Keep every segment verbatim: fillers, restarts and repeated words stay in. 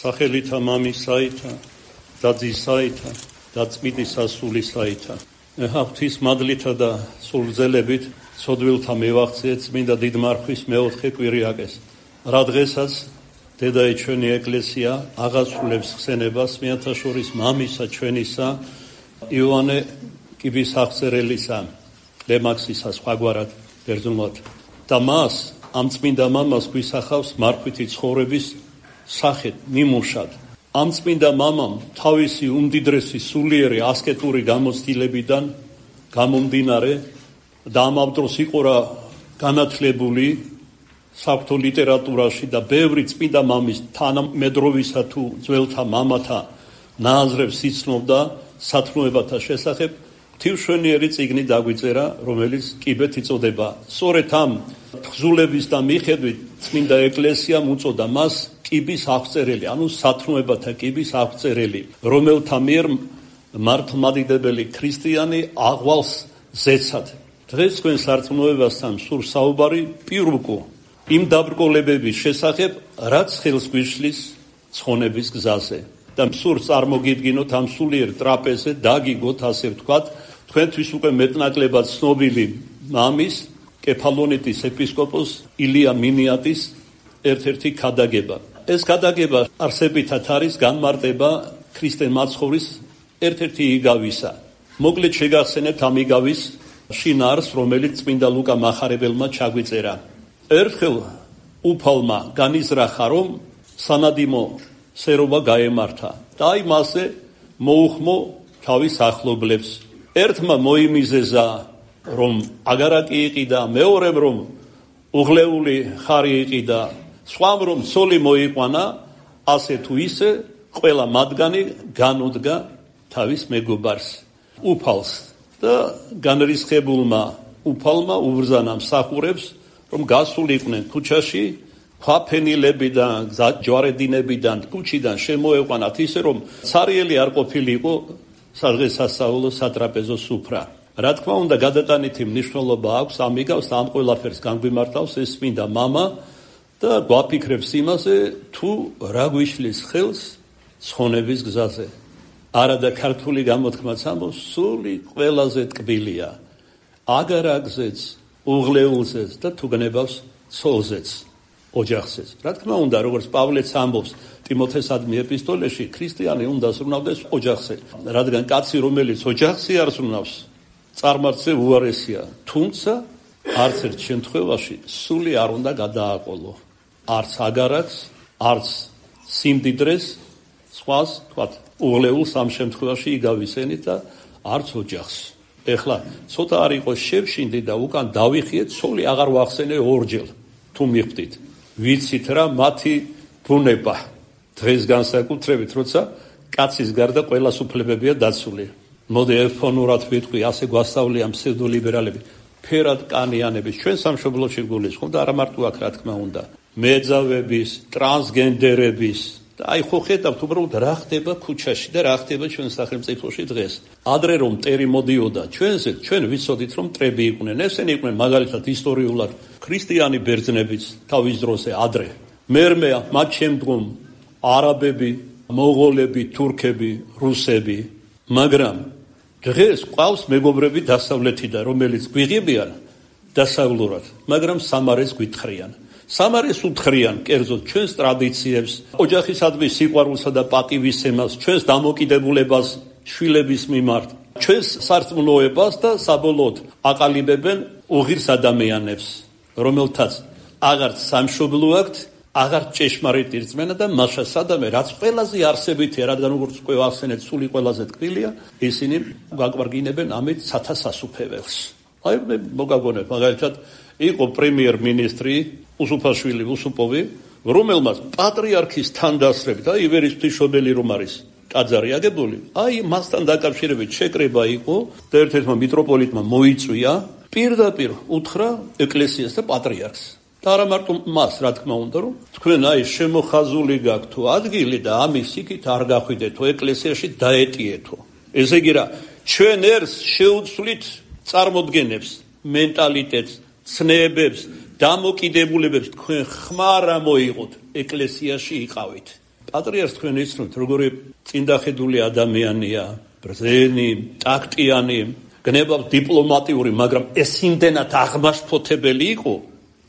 სახელითა მამისაითა და ძისაითა და წმინდისა სულისაითა. ღვთის მადლითა და სულძელებით ცოდვილთა მივახციეთ წმინდა დიდმარხვის მეოთხე კვირიაკეს. რა დღესაც დედაი ჩვენი ეკლესია აღასრულებს ხსენებას მეათა შორის მამისა ჩვენისა იოანე კიბისახწერელისა ლემაქსისა სხვაგვარად ბერძნულად და მას ამ წმინდა მამას გვისახავს მარხვითი ცხოვრების სახეთ მიმუშად. ამ წმინდა მამამ თავისი უმდიდრესი სულიერი ასკეტური გამოცდილებიდან გამომდინარე და ამავ დროს იყო რა განათლებული საღვთო ლიტერატურაში და ბევრი წმინდა მამის თანამედროვისა თუ ძველთა მამათა ნააზრებს იცნობდა სათნოებათა შესახებ. ღვთისმშობლიერი წიგნი დაგვიწერა, რომელიც კიბეთ იწოდება. სწორედ ამ თხზულების და მიხედვით წმინდა ეკლესიამ უწოდა მას კიბის აღწერელი, ანუ სათნოებათა კიბის აღწერელი, რომელთა მიერ მართლმადიდებელი ქრისტიანი აღვალს ზეცად. დღეს თქვენ სარწმუნოებასთან სურს საუბარი პირუკო იმ დაბრკოლებების შესახებ, რაც ხელს გვიშლის ცხონების გზაზე. და სურს წარმოგიდგინოთ ამ სულიერ ტრაპეზზე, დაგიგოთ ასე ვთქვათ, თქვენთვის უკვე მეტნაკლებად ცნობილი მამის, კეფალონიტის ეპისკოპოს ილია მინიატის ერთ-ერთი ქადაგება. ეს ქადაგება არსებითად არის განმარტება ქრისტე მაცხოვრის ერთ-ერთი იგავისა. მოკლედ შეგახსენებთ ამ იგავის შინაარსს, რომელიც წმინდა ლუკა მახარებელმა ჩაგვიწერა. ერთხელ უფალმა განიზრახა, რომ სანადიმო სერობა გაემართა და აი მასზე მოუხმო თავის ახლობლებს. ერთმა მოიმიზეზა, რომ აგარაკი იყიდა, მეორემ რომ უღლეული ხარი იყიდა, სხვამ რომ ცოლი მოიყვანა, ასე თუ ისე ყველა მათგანი განუდგა თავის მეგობარს, უფალს და განრისხებულმა უფალმა უბრძანა მსახურებს, რომ გასულიყვნენ ქუჩაში, ქვაფენილებიდან, ჯვარედინებიდან, ქუჩიდან შემოეყვანათ ისე, რომ ცარიელი არ ყოფილიყო სადღესასწაულო სატრაპეზო სუფრა. რა თქმა უნდა, გადატანითი მნიშვნელობა აქვს ამ იგავს და ამ ყველაფერს განგვიმართავს ეს წმინდა მამა და გვაფიქრებს იმაზე, თუ რა გვიშლის ხელს ცხონების გზაზე. არა და ქართული გამოთქმაც ამბობს, სული ყველაზე ტკბილია, აგარაკზეც, უღლეულზეც და თუ გნებავს ცოლზეც, ოჯახზეც. რა თქმა უნდა, როგორც პავლეც ამბობს ტიმოთესადმი ეპისტოლეში, ქრისტიანი უნდა ზრუნავდეს ოჯახზე, რადგან კაცი, რომელიც ოჯახზე არ ზრუნავს, წარმართზე უარესია, თუმცა არც ერთ შემთხვევაში სული არ უნდა გადააყოლო. არც აგარაკს, არც სიმდიდრეს, სხვას, თქვათ, უღლეულს ამ შემთხვევაში იგავისენით და არც ოჯახს. ეხლა ცოტა არ იყოს შევშინდი და უკან დავიხიეთ, სული აღარ ვახსენე ორჯერ, თუ მიხვდით. ვიცით რა მათი ბუნება. დღეს განსაკუთრებით, როცა კაცის გარდა ყველა სუფლებებია დაცული. მოდი ეფონურად ვიტყვი, ასე გვასწავლიან ფსევდოლიბერალები, ფერად კანიანების ჩვენ სამშობლოში გულისხმობ და არა მარტო აქ, რა თქმა უნდა, მეძავების, ტრანსგენდერების და აი ხო ხედავთ უბრალოდ რა ხდება ქუჩაში და რა ხდება ჩვენ სახელმწიფოში დღეს. ადრე რომ მტერი მოდიოდა ჩვენზე, ჩვენ ვიცოდით რომ მტრები იყვნენ. ესენი იყვნენ მაგალითად ისტორიულად ქრისტიანი ბერძნებიც თავის დროზე ადრე. მერმე მათ შემდგომ არაბები, მონღოლები, თურქები, რუსები, მაგრამ დღეს ყავს მეგობრები დასავლეთიდან, რომელიც გვიღებიან დასავლურად, მაგრამ სამარეს გვითხრიან. სამარეს უთხრიან კერძოდ ჩვენს ტრადიციებს, ოჯახისადმი სიყვარულსა და პატივისცემას, ჩვენს დამოკიდებულებას შვილების მიმართ, ჩვენს სარწმუნოებას და საბოლოოდ აყალიბებენ უღირს ადამიანებს, რომელთაც აღარც სამშობლო აქვთ, აღარც ჭეშმარიტი რწმენა და მასა სადამე, რაც ყველაზე არსებითია, რადგან როგორც უკვე ახსენეთ, სული ყველაზე ტკბილია, ისინი გაგვარგინებენ ამით სათასასუფეველს. აი მე მოგაგონებ, მაგალითად იყო პრემიერ-მინისტრი უსუფაშვილი უსუპოვი, რომელმაც პატრიარქის თანდასწრებით, აი ივერის ღვთისმშობელი რომ არის ტაძარი აგებული, აი მასთან დაკავშირებით შეკრება იყო და ერთ-ერთმა მიტროპოლიტმა მოიწვია, პირდაპირ უთხრა ეკლესიას და პატრიარქს. და არა მარტო მას, რა თქმა უნდა, რომ თქვენ აი შემოხაზული გაქვთ თუ ადგილი და ამის იქით არ გახვიდეთო, ეკლესიაში დაეტიეთო. ესე იგი რა, ჩვენ ერს შეუცვლით წარმოდგენებს, მენტალიტეტს, ცნებებს, დამოკიდებულებებს, თქვენ ხმარა მოიღოთ, ეკლესიაში იყავით. პატრიარქს თქვენ იცნობთ, როგორი წინდახედული ადამიანია, ბრძენი, ტაქტიანი, გნებავთ დიპლომატიური, მაგრამ ეს იმდენად აღმაშფოთებელი იყო,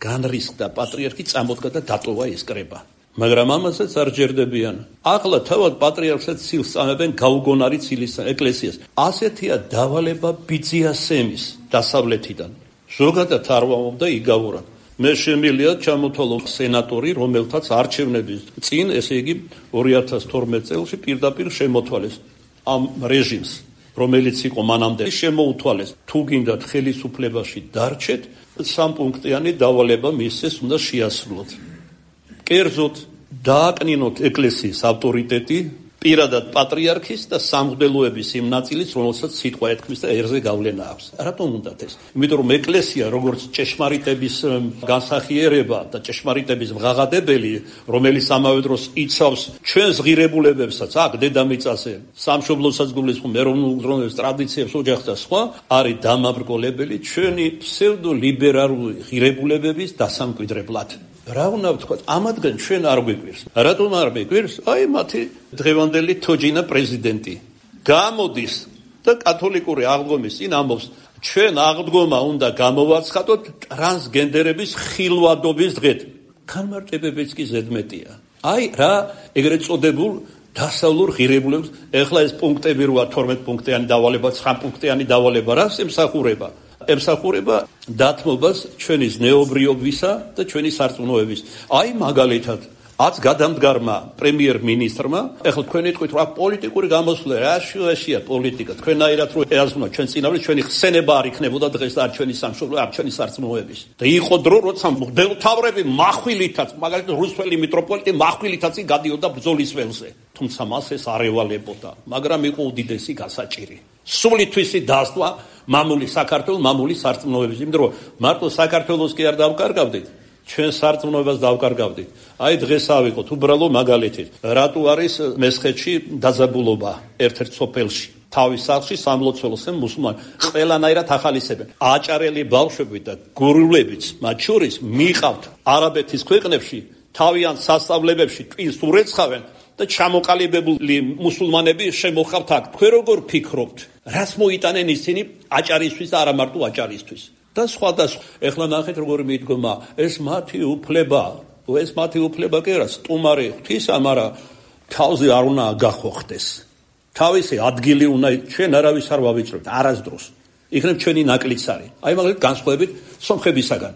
განრისხდა პატრიარქი, წამოდგა და დატოვა ეს კრება. მაგრამ ამასაც არ ჯერდებიან. ახლა თავად პატრიარქსაც ცილს წამებენ გაუგონარი ცილის ეკლესიას. ასეთია დავალება ბიძიასემის დასავლეთიდან. ზოგადად არ ვამბობ და იგავურად. მე შემიძლია ჩამოთვალო სენატორი, რომელთაც არჩევნების წინ, ესე იგი ორი ათას თორმეტ წელს პირდაპირ შემოთვალეს ამ რეჟიმს, რომელიც იყო მანამდე, შემოუთვალეს. თუ გინდათ ხელისუფლებაში დარჩეთ, სამპუნქტიანი დავალება მისცეს, უნდა შეასრულოთ. კერძოდ დააკნინოთ ეკლესიის ავტორიტეტი, პირადად პატრიარქის და სამღვდელოების იმ ნაწილის, რომელსაც სიტყვა ეთქმის და ერზე გავლენა აქვს. რატომ უნდათ ეს? იმიტომ რომ ეკლესია, როგორც ჭეშმარიტების განსახიერება და ჭეშმარიტების მღაღადებელი, რომელიც ამავე დროს იცავს ჩვენს ღირებულებებსაც, აქ დედამიწაზე, სამშობლოსაც გულისხმობ, ეროვნულ უზრუნველყოფის ტრადიციებს, ოჯახს და სხვა, არის დამაბრკოლებელი ჩვენი ფსევდოლიბერალური ღირებულებების დასამკვიდრებლად. რა უნდა ვთქვათ, ამათგან ჩვენ არ გვიკვირს. რატომ არ გვიკვირს? აი მათი დღევანდელი თოჯინა პრეზიდენტი გამოდის და კათოლიკური აღდგომის წინ ამბობს, ჩვენ აღდგომა უნდა გამოვაცხადოთ ტრანსგენდერების ხილვადობის დღედ. განმარტებებიც კი ზედმეტია. აი რა ეგრეთ წოდებულ დასავლურ ღირებულებს, ეხლა ეს პუნქტები როა თორმეტ პუნქტიანი დავალება, ცხრა პუნქტიანი დავალება, რას ემსახურება? ემსახურება დათმობას ჩვენი ზნეობრიობისა და ჩვენი სარწმუნოების. აი მაგალითად, აც გადამდგარმა პრემიერ-მინისტრმა, ეხლა თქვენ იტყვით, რა პოლიტიკური გამოსვლა, რა შუაშია პოლიტიკა, თქვენაირად რო ეაზმნა ჩვენ წინავე, ჩვენი ხსენება არ იქნებოდა დღეს და არ ჩვენი სამშობლო, არ ჩვენი სარწმუნოების. და იყო დრო, როცა მღვდელმთავრები מחვილითაც, მაგალითად რუსთველი მიტროპოლიტი מחვილითაც გადიოდა ბრძოლის ველზე. თუმცა მას ეს არ ევალებოდა, მაგრამ იყო უდიდესი გასაჭირი. სულითვისი დასტვა მამული საქართველოს, მამული სარწმუნოების, იმიტომ რომ მარტო საქართველოს კი არ დავკარგავდით, ჩვენ სარწმუნოებას დავკარგავდით. აი დღეს ავიღოთ უბრალო მაგალითით, რატო არის მესხეთში დაძაბულობა ერთ-ერთ სოფელში, თავის სახლში სამლოცველოს მუსულმანი ყველანაირად ახალისებენ. აჭარელი ბავშვები და გურულებიც მათ შორის მიყავთ არაბეთის ქვეყნებში, თავიანთ სასწავლებელში ტვინს ურეცხავენ და ჩამოყალიბებული მუსულმანები შემოხავთ აქ. თქვენ როგორ ფიქრობთ? რას მოიტანენ ისინი აჭარისთვის და არა მარტო აჭარისთვის? და სხვა და სხვა. ეხლა ნახეთ როგორი მიდგომა, ეს მათი უფლება, ეს მათი უფლება კი არა, სტუმარი ღვთისა, მაგრამ თავზე არ უნდა გახოხდეს. თავისი ადგილი უნდა, ჩვენ არავის არ ვავიწყებთ, არასდროს. იქნებ ჩვენი ნაკლიცარი. აი მაგალითად განსხვავებით სომხებისაგან.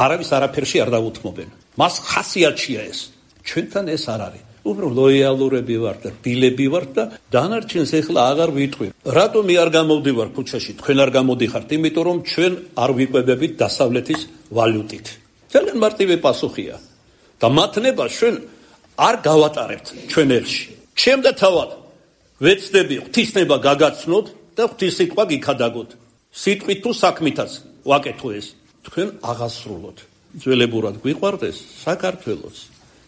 არავის არაფერში არ დაუთმობენ. მას ხასიათია ეს. ჩვენთან ეს არ არის. უბრალოდ ლოიალურები ვართ და დილები ვართ და დანარჩენს ეხლა აღარ ვიტყვი. რატომ მე არ გამოვდივარ ქუჩაში, თქვენ არ გამოდიხართ? იმიტომ რომ ჩვენ არ ვიკვებებით დასავლეთის ვალუტით. ძალიან მარტივი პასუხია. და მათნება ჩვენ არ გავატარებთ ჩვენ ერში. ჩემ და თავად ვეცდები ღვთისნება გაგაცნოთ და ღვთის სიტყვა გიქადაგოთ. სიტყვით თუ საქმითაც ვაკეთო ეს. თქვენ აღასრულოთ. ძველებურად გვიყვარდეს საქართველოს.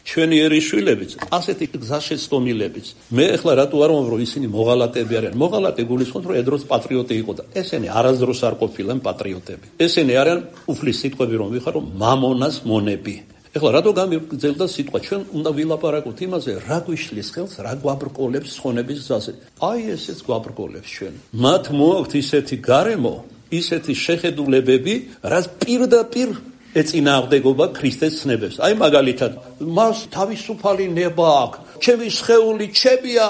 ჩვენი ერიშვილებიც, ასეთი გზაშეცდომილებიც. მე ახლა რატო არ ვამბობ, რომ ისინი მოღალატეები არიან? მოღალატე გულისხმობ, რომ ედროს პატრიოტი იყო და ესენი არასდროს არ ყოფილან პატრიოტები. ესენი არიან უფლის სიტყვები რომ ვიხარ, რომ მამონას მონები. ეხლა რატო გამიგრძელდა სიტყვა? ჩვენ უნდა ვილაპარაკოთ იმაზე, რა გვიშლის ხელს, რა გვაბრკოლებს ხონების გზაზე. აი ესეც გვაბრკოლებს ჩვენ. მათ მოაქვთ ისეთი გარემო, ისეთი შეხედულებები, რაც პირდაპირ ეწინააღმდეგობა ქრისტეს ცნებებს. აი მაგალითად, მას თავისუფალი ნება აქვს, ჩემი სხეული ჩემია,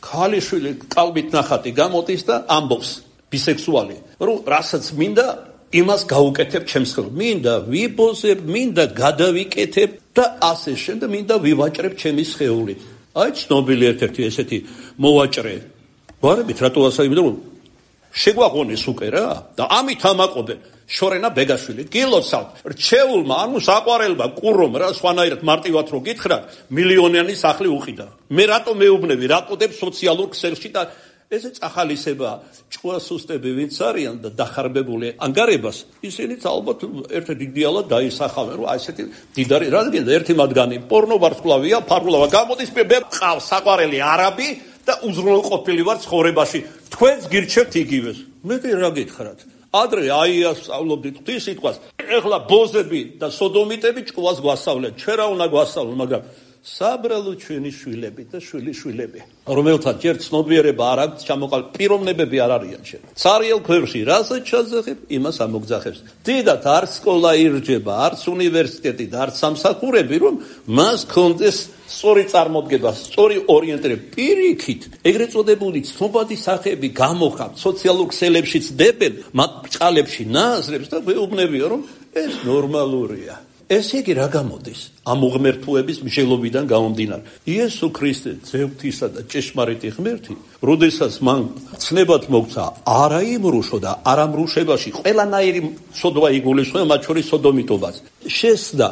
ქალიშვილი კალბით ნახატი გამოდის და ამბობს ბისექსუალი, რომ რასაც მინდა იმას გაუკეთებ ჩემს ხელს. მინდა ვიბოზებ, მინდა გადავიკეთებ და ასე შემდეგ მინდა ვივაჭრებ ჩემი სხეული. აი ცნობილი ერთ-ერთი ესეთი მოვაჭრე. გვარებით რატო ასე იმიტომ რომ შეგვაღონეს უკვე რა და ამით ამაყობენ. შორენა ბეგაშვილი გილოცავთ რჩეულმა ანუ საყვარელმა კურომ რა სხვანაირად მარტივად რო გითხრათ მილიონიანი სახლი უყიდა. მე რატო მეუბნები რატოდებ სოციალურ ქსელში და ესე წახალისება ჭუასუსტები ვინც არიან და დახარბებული ანგარებას ისინიც ალბათ ერთ-ერთ იდეალად დაისახავენ რომ ასეთი დიდარი რადგან ერთი მათგანი პორნო ვარსკვლავია ფარულად გამოდის მე ყავს საყვარელი არაბი და უზრუნველყოფილი ვარ ცხოვრებაში თქვენს გირჩევთ იგივეს. მე კი რა გითხრათ ადრე აიას სწავლობდით ღვთის სიტყვას. ეხლა ბოზები და სოდომიტები ჭკუას გვასწავლენ. ჩვენ რა უნდა გვასწავლონ, მაგრამ საბრალო ჩვენი შვილები და შვილიშვილები, რომელთაც ჯერ ცნობიერება არ აქვს, ჩამოყალ პიროვნებები არ არიან შენ. ცარიელ ქვეყნში რასაც ჩაძახებ, იმას ამოგძახებს. დიდად არ სკოლა ირჯება, არც უნივერსიტეტი და არც სამსახურები, რომ მას კონდეს სწორი წარმოდგება, სწორი ორიენტირება. პირიქით, ეგრეთ წოდებული ცნობადი სახეები გამოხატ, სოციალურ ქსელებშიც დებენ, მათ ბრჭყალებში ნააზრებს და ვეუბნებია, რომ ეს ნორმალურია. ესე იგი რა გამოდის? ამ უღმერთოების მსჯელობიდან გამომდინარე. იესო ქრისტე, ძევთისა და ჭეშმარიტი ღმერთი, როდესაც მან ცნებად მოგცა არა იმრუშო და არა მრუშებაში ყველანაირი სოდვა იგულისხმება, მათ შორის სოდომიტობას. შესდა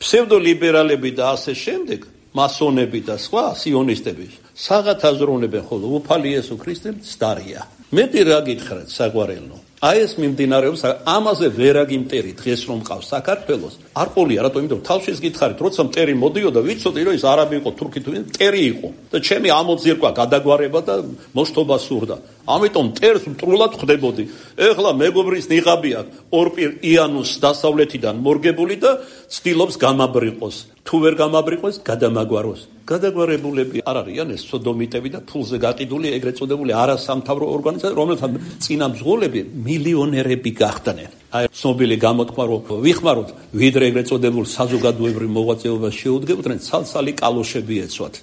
ფსევდოლიბერალები და ასე შემდეგ, მასონები და სხვა სიონისტები საღათ აზროვნებენ, ხოლო უფალი იესო ქრისტე მცდარია. მეტი რა გითხრათ საყვარელო? აი ეს მიმდინარეობს, ამაზე ვერ აგიმტერი დღეს რომ მყავს საქართველოს. არ ყოლია, რატო? იმიტომ რომ თავშეს გითხარით, როცა მტერი მოდიოდა, ვიცოდი რომ ის არაბი იყო, თურქი თუ მტერი იყო და ჩემი ამოძირკვა გადაგვარება და მოშთობა სურდა. ამიტომ მტერს მტრულად ხვდებოდი. ეხლა მეგობრის ნიღაბი აქვს, ორპირ იანუს დასავლეთიდან მორგებული და ცდილობს გამაბრიყოს. თუ ვერ გამაბრიყოს, გადამაგვაროს. გადაგვარებულები არ არიან ეს სოდომიტები და ფულზე გაყიდული ეგრეთ წოდებული არასამთავრო ორგანიზაცია, რომელთა წინა მძღოლები მილიონერები გახდნენ. აი, ცნობილი გამოთქვა რომ ვიხმაროთ, ვიდრე ეგრეთ წოდებულ საზოგადოებრივ მოღვაწეობას შეუდგებოდნენ, ცალ-ცალი კალოშები ეცვათ.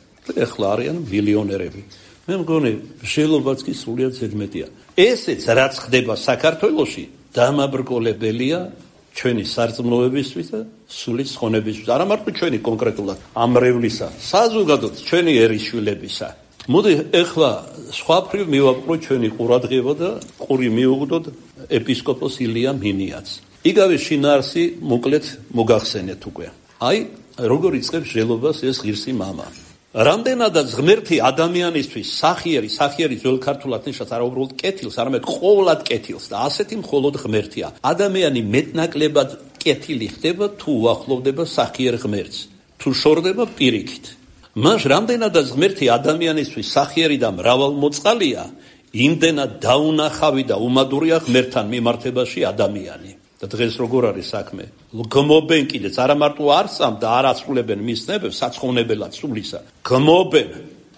ეხლა არიან მილიონერები. მე მგონი, შელობაც კი სრულიად ზედმეტია. ესეც რაც ხდება საქართველოში, დამაბრკოლებელია ჩვენი სარწმუნოებისთვის და სული ხონებისთვის. არა მარტო ჩვენი კონკრეტულად ამრევლისა, საზოგადოდ ჩვენი ერისშვილებისა. მოდი ეხლა სხვაფრივ მივაპყრო ჩვენი ყურადღება და ყური მიუღდოთ ეპისკოპოს ილია მინიაც. იგავე შინაარსი მოკლედ მოგახსენეთ უკვე. აი, როგორ იწყებს ჟელობას ეს ღირსი მამა. რამდენადაც ღმერთი ადამიანისთვის სახიერი, სახიერი ძველ ქართულად ნიშნავს არა უბრალოდ კეთილს, არამედ ყოვლად კეთილს და ასეთი მხოლოდ ღმერთია. ადამიანი მეტნაკლებად კეთილი ხდება თუ უახლოვდება სახიერ ღმერთს, თუ შორდება პირიქით. მას რამდენადაც ღმერთი ადამიანისთვის სახიერი და მრავალმოწყალია, იმდენად დაუნახავი და უმადურია ღმერთთან მიმართებაში ადამიანი. და დღეს როგორ არის საქმე? გმობენ კიდეც, არა მარტო არსამ და არ აცვლებენ მის ცნებებს, საცხოვნებელად სულისა. გმობენ,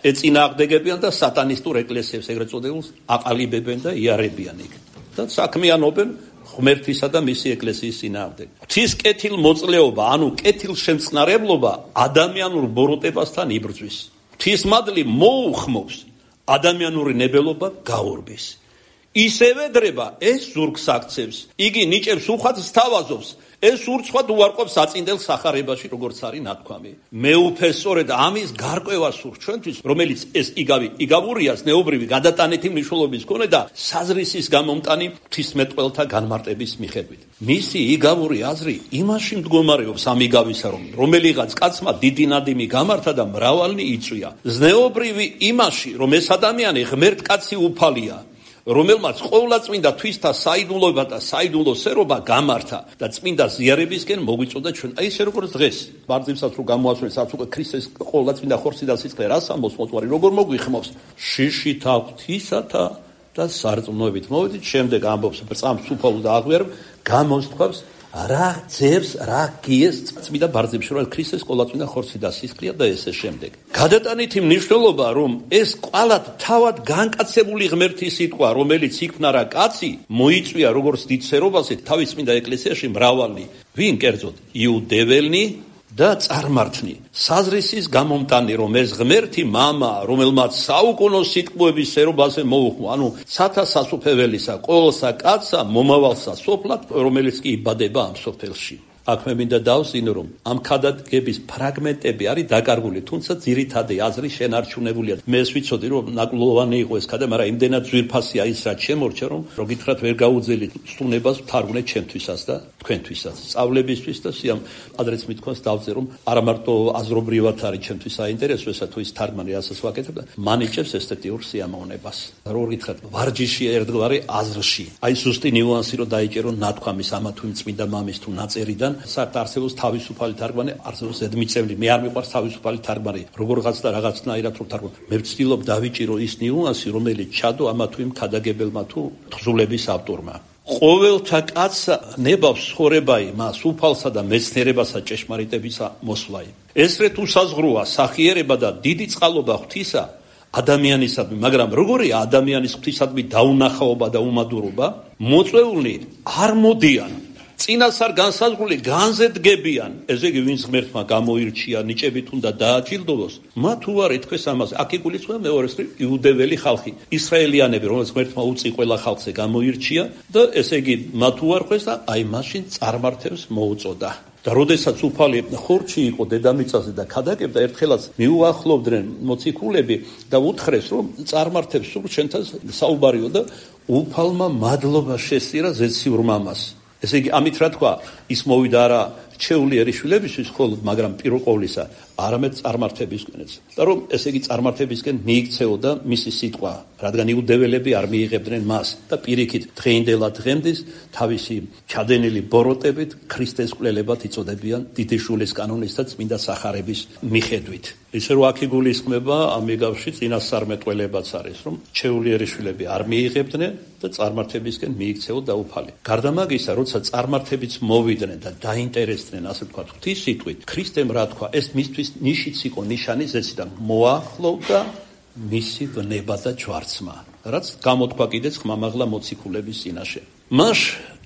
ეწინააღმდეგებიან და სატანისტურ ეკლესიებს ეგრეთ წოდებულს აყალიბებენ და იარებიან იქ. და საქმიანობენ ღმერთისა და მისი ეკლესიის წინააღმდეგ. ღვთის კეთილ მოწლეობა, ანუ კეთილ შემწყნარებლობა ადამიანურ ბოროტებასთან იბრძვის. ღვთის მადლი მოუხმობს, ადამიანური ნებელობა გაურბის. ისევე დრება ეს ზურგს აქცევს, იგი ნიჭებს უხვად სთავაზობს, ეს ურცხვად უარყოფს აწინდელ სახარებაში, როგორც არის ნათქვამი. მეუფეს სწორედ ამის გარკვევა სურს ჩვენთვის, რომელიც ეს იგავი იგავურიას ნეობრივი გადატანითი მნიშვნელობის მქონე და საზრისის გამომტანი ღვთისმეტყველთა განმარტების მიხედვით. მისი იგავური აზრი იმაში მდგომარეობს ამ იგავისა, რომ რომელიღაც კაცმა დიდი ნადიმი გამართა და მრავალნი იწვია. ზნეობრივი იმაში, რომ ეს ადამიანი ღმერთკაცი უფალია, რომელმაც ყოვლადწმინდა თვისთა საიდუმლოება და საიდუმლო სერობა გამართა და წმინდა ზიარებისკენ მოგვიწოდა ჩვენ. აი ესე როგორც დღეს ბარძიმსაც რო გამოასვენეს, რაც უკვე ქრისტეს ყოვლადწმინდა ხორცი და სიცხლე რას ამბობს მოწვარი, როგორ მოგვიხმობს შიშით ღვთისათა და სარწმუნოებით. მოვედით შემდეგ ამბობს ბრძამს უფალო და აღვიარ გამოსთქვავს რა ძებს, რა გიეს წმინდა ბარძიმში, რომ ქრისტეს ყოვლადწმინდა ხორცი და სისხლია და ესე შემდეგ. გადატანითი მნიშვნელობა, რომ ეს ყალად თავად განკაცებული ღმერთის სიტყვა, რომელიც იქნა რა კაცი, მოიწვია როგორც დიდ სერობაზე თავის წმინდა ეკლესიაში მრავალი, ვინ კერძოდ იუდეველნი და წარმართნი. საზრისის გამომტანი, რომ ეს ღმერთი მამა, რომელმაც საუკუნო სიტყვების სერობაზე მოუხმო, ანუ სათა სასופველისა, ყოველსა კაცსა, მომავალსა სოფლად, რომელიც კი იბადება ამ სოფელში. აქ მე მინდა დავსინო, რომ ამ ქადაგების ფრაგმენტები არის დაკარგული, თუმცა ძირითადი აზრი შენარჩუნებულია. მე ეს ვიცოდი, რომ ნაკლოვანი იყო ეს ქადა, მაგრამ იმდენად ძვირფასია ის, რაც შემორჩა, რომ რო გითხრათ ვერ გაუძელით სტუნებას ვთარგმნეთ ჩემთვისაც და თქვენთვისაც. სწავლებისთვის და სიამ ადრეც მithქვას დავწე, რომ არა მარტო აზრობრივად არის ჩემთვის საინტერესო, ესა თუ ის თარგმანი რასაც ვაკეთებ და მანიჭებს ესთეტიურ სიამოვნებას. რო გითხრათ ვარჯიში ერთგვარი აზრში. აი ზუსტი ნიუანსი რო დაიჭერო ნათქვამის ამა თუ იმ წმინდა მამის თუ ნაწერიდან საერთოდ არსებობს თავისუფალი თარგმანი, არსებობს ზედმიწევრი. მე არ მიყვარს თავისუფალი თარგმანი. როგორღაც და რაღაცნაირად რო თარგმნ. მე ვცდილობ დავიჭირო ის ნიუანსი, რომელიც ჩადო ამა თუ იმ ქადაგებელმა თუ თხზულების ავტორმა. ყოველთა კაცსა ნებავს ცხოვრება იმას, უფალსა და მეცნიერებასა ჭეშმარიტებისა მოსვლაი. ესრე თუ საზღვროა სახიერება და დიდი წყალობა ღვთისა ადამიანისადმი, მაგრამ როგორია ადამიანის ღვთისადმი დაუნახაობა და უმადურობა? მოწვეულნი არ მოდიან, წინასწარ განსაზღვრული განზე დგებიან. ესე იგი, ვინც ღმერთმა გამოირჩია, ნიჭებით უნდა დააჯილდოვოს, მათ უარ ეთქვეს ამაზე. აქ იგულისხმება მეორე მხრივ იუდეველი ხალხი, ისრაელიანები, რომელსაც ღმერთმა უწი ყველა ხალხზე გამოირჩია და ესე იგი, მათ უარ ხვეს და აი მაშინ წარმართებს მოუწოდა. და როდესაც უფალი ხორჩი იყო დედამიწაზე და ქადაგებდა, ერთხელაც მიუახლოვდნენ მოციქულები და უთხრეს, რომ წარმართებს სულ შენთან საუბარიო და უფალმა მადლობა შესწირა ზეციურ მამას. ესე იგი, ამით რა თქვა, ის მოვიდა არა ჩეულიერი შვილებისთვის მხოლოდ, მაგრამ პირველ ყოვლისა არამედ წარმართებისკენაც. და რომ ესე იგი წარმართებისკენ მიიქცეოდა მისი სიტყვა, რადგან იუდეველები არ მიიღებდნენ მას და პირიქით დღეინდელად დღემდის თავისი ჩადენილი ბოროტებით ქრისტეს კვლელებად იწოდებიან დიდი შულის კანონის და წმინდა სახარების მიხედვით. ისე რომ აქ იგულისხმება ამ მიგავში წინასწარმეტყველებაც არის, რომ ჩეულიერი შვილები არ მიიღებდნენ და წარმართებისკენ მიიქცეოდა უფალი. გარდა მაგისა, როცა წარმართებიც მოვიდნენ და დაინტერესდნენ, ასე ვთქვათ, ღვთის სიტყვით, ქრისტემ რა თქვა, ეს მისთვის ნიშიც იყო, ნიშანი ზეცი და მოახლოვდა მისი ვნება და ჯვარცმა, რაც გამოთქვა კიდეც ხმამაღლა მოციქულების წინაშე. მას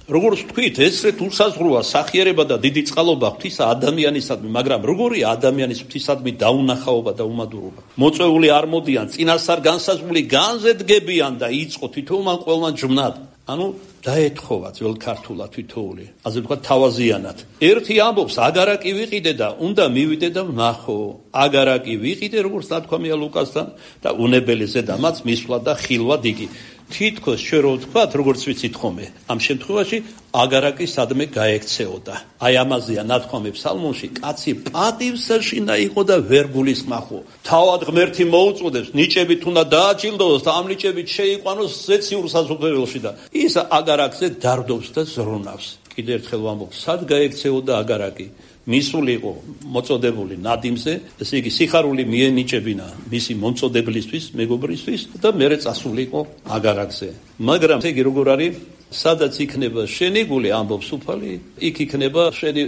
როგორც თქვით, ესრე თუ საზღვროა სახიერება და დიდი წყალობა ღვთისა ადამიანისადმი, მაგრამ როგორია ადამიანის ღვთისადმი დაუნახაობა და უმადურობა? მოწვეული არ მოდიან, წინასწარ განსაზღვრული განზე დგებიან და იწყო თითოეულმა ყველმან ჯმნად. ანუ დაეთხოვა ძველ ქართულად თითოეული, ასე ვთქვათ, თავაზიანად. ერთი ამბობს, აგარაკი ვიყიდე და უნდა მივიდე და ვნახო. აგარაკი ვიყიდე, როგორც ნათქვამია ლუკასთან და უნებელი ზედამაც მისვლა და ხილვა დიდი. თითქოს ჩვენ რო ვთქვათ, როგორც ვიცით ხოლმე, ამ შემთხვევაში აგარაკი სადმე გაექცეოდა. აი ამაზეა ნათქვამი ფსალმონში, კაცი პატივსაშინა იყო და ვერ გულისხმახო. თავად ღმერთი მოუწოდებს, ნიჭებით უნდა დააჯილდოვოს და ამ ნიჭებით შეიყვანოს ზეციურ სასუფეველში და ის აგარაკზე დარდობს და ზრუნავს. კიდევ ერთხელ ვამბობ, სად გაექცეოდა აგარაკი? მისული იყო მოწოდებული ნადიმზე, ესე იგი სიხარული მიენიჭებინა მისი მომწოდებლისთვის, მეგობრისთვის და მერე წასული იყო აგარაკზე. მაგრამ ესე იგი როგორ არის, სადაც იქნება შენი გული, ამბობს უფალი, იქ იქნება შენი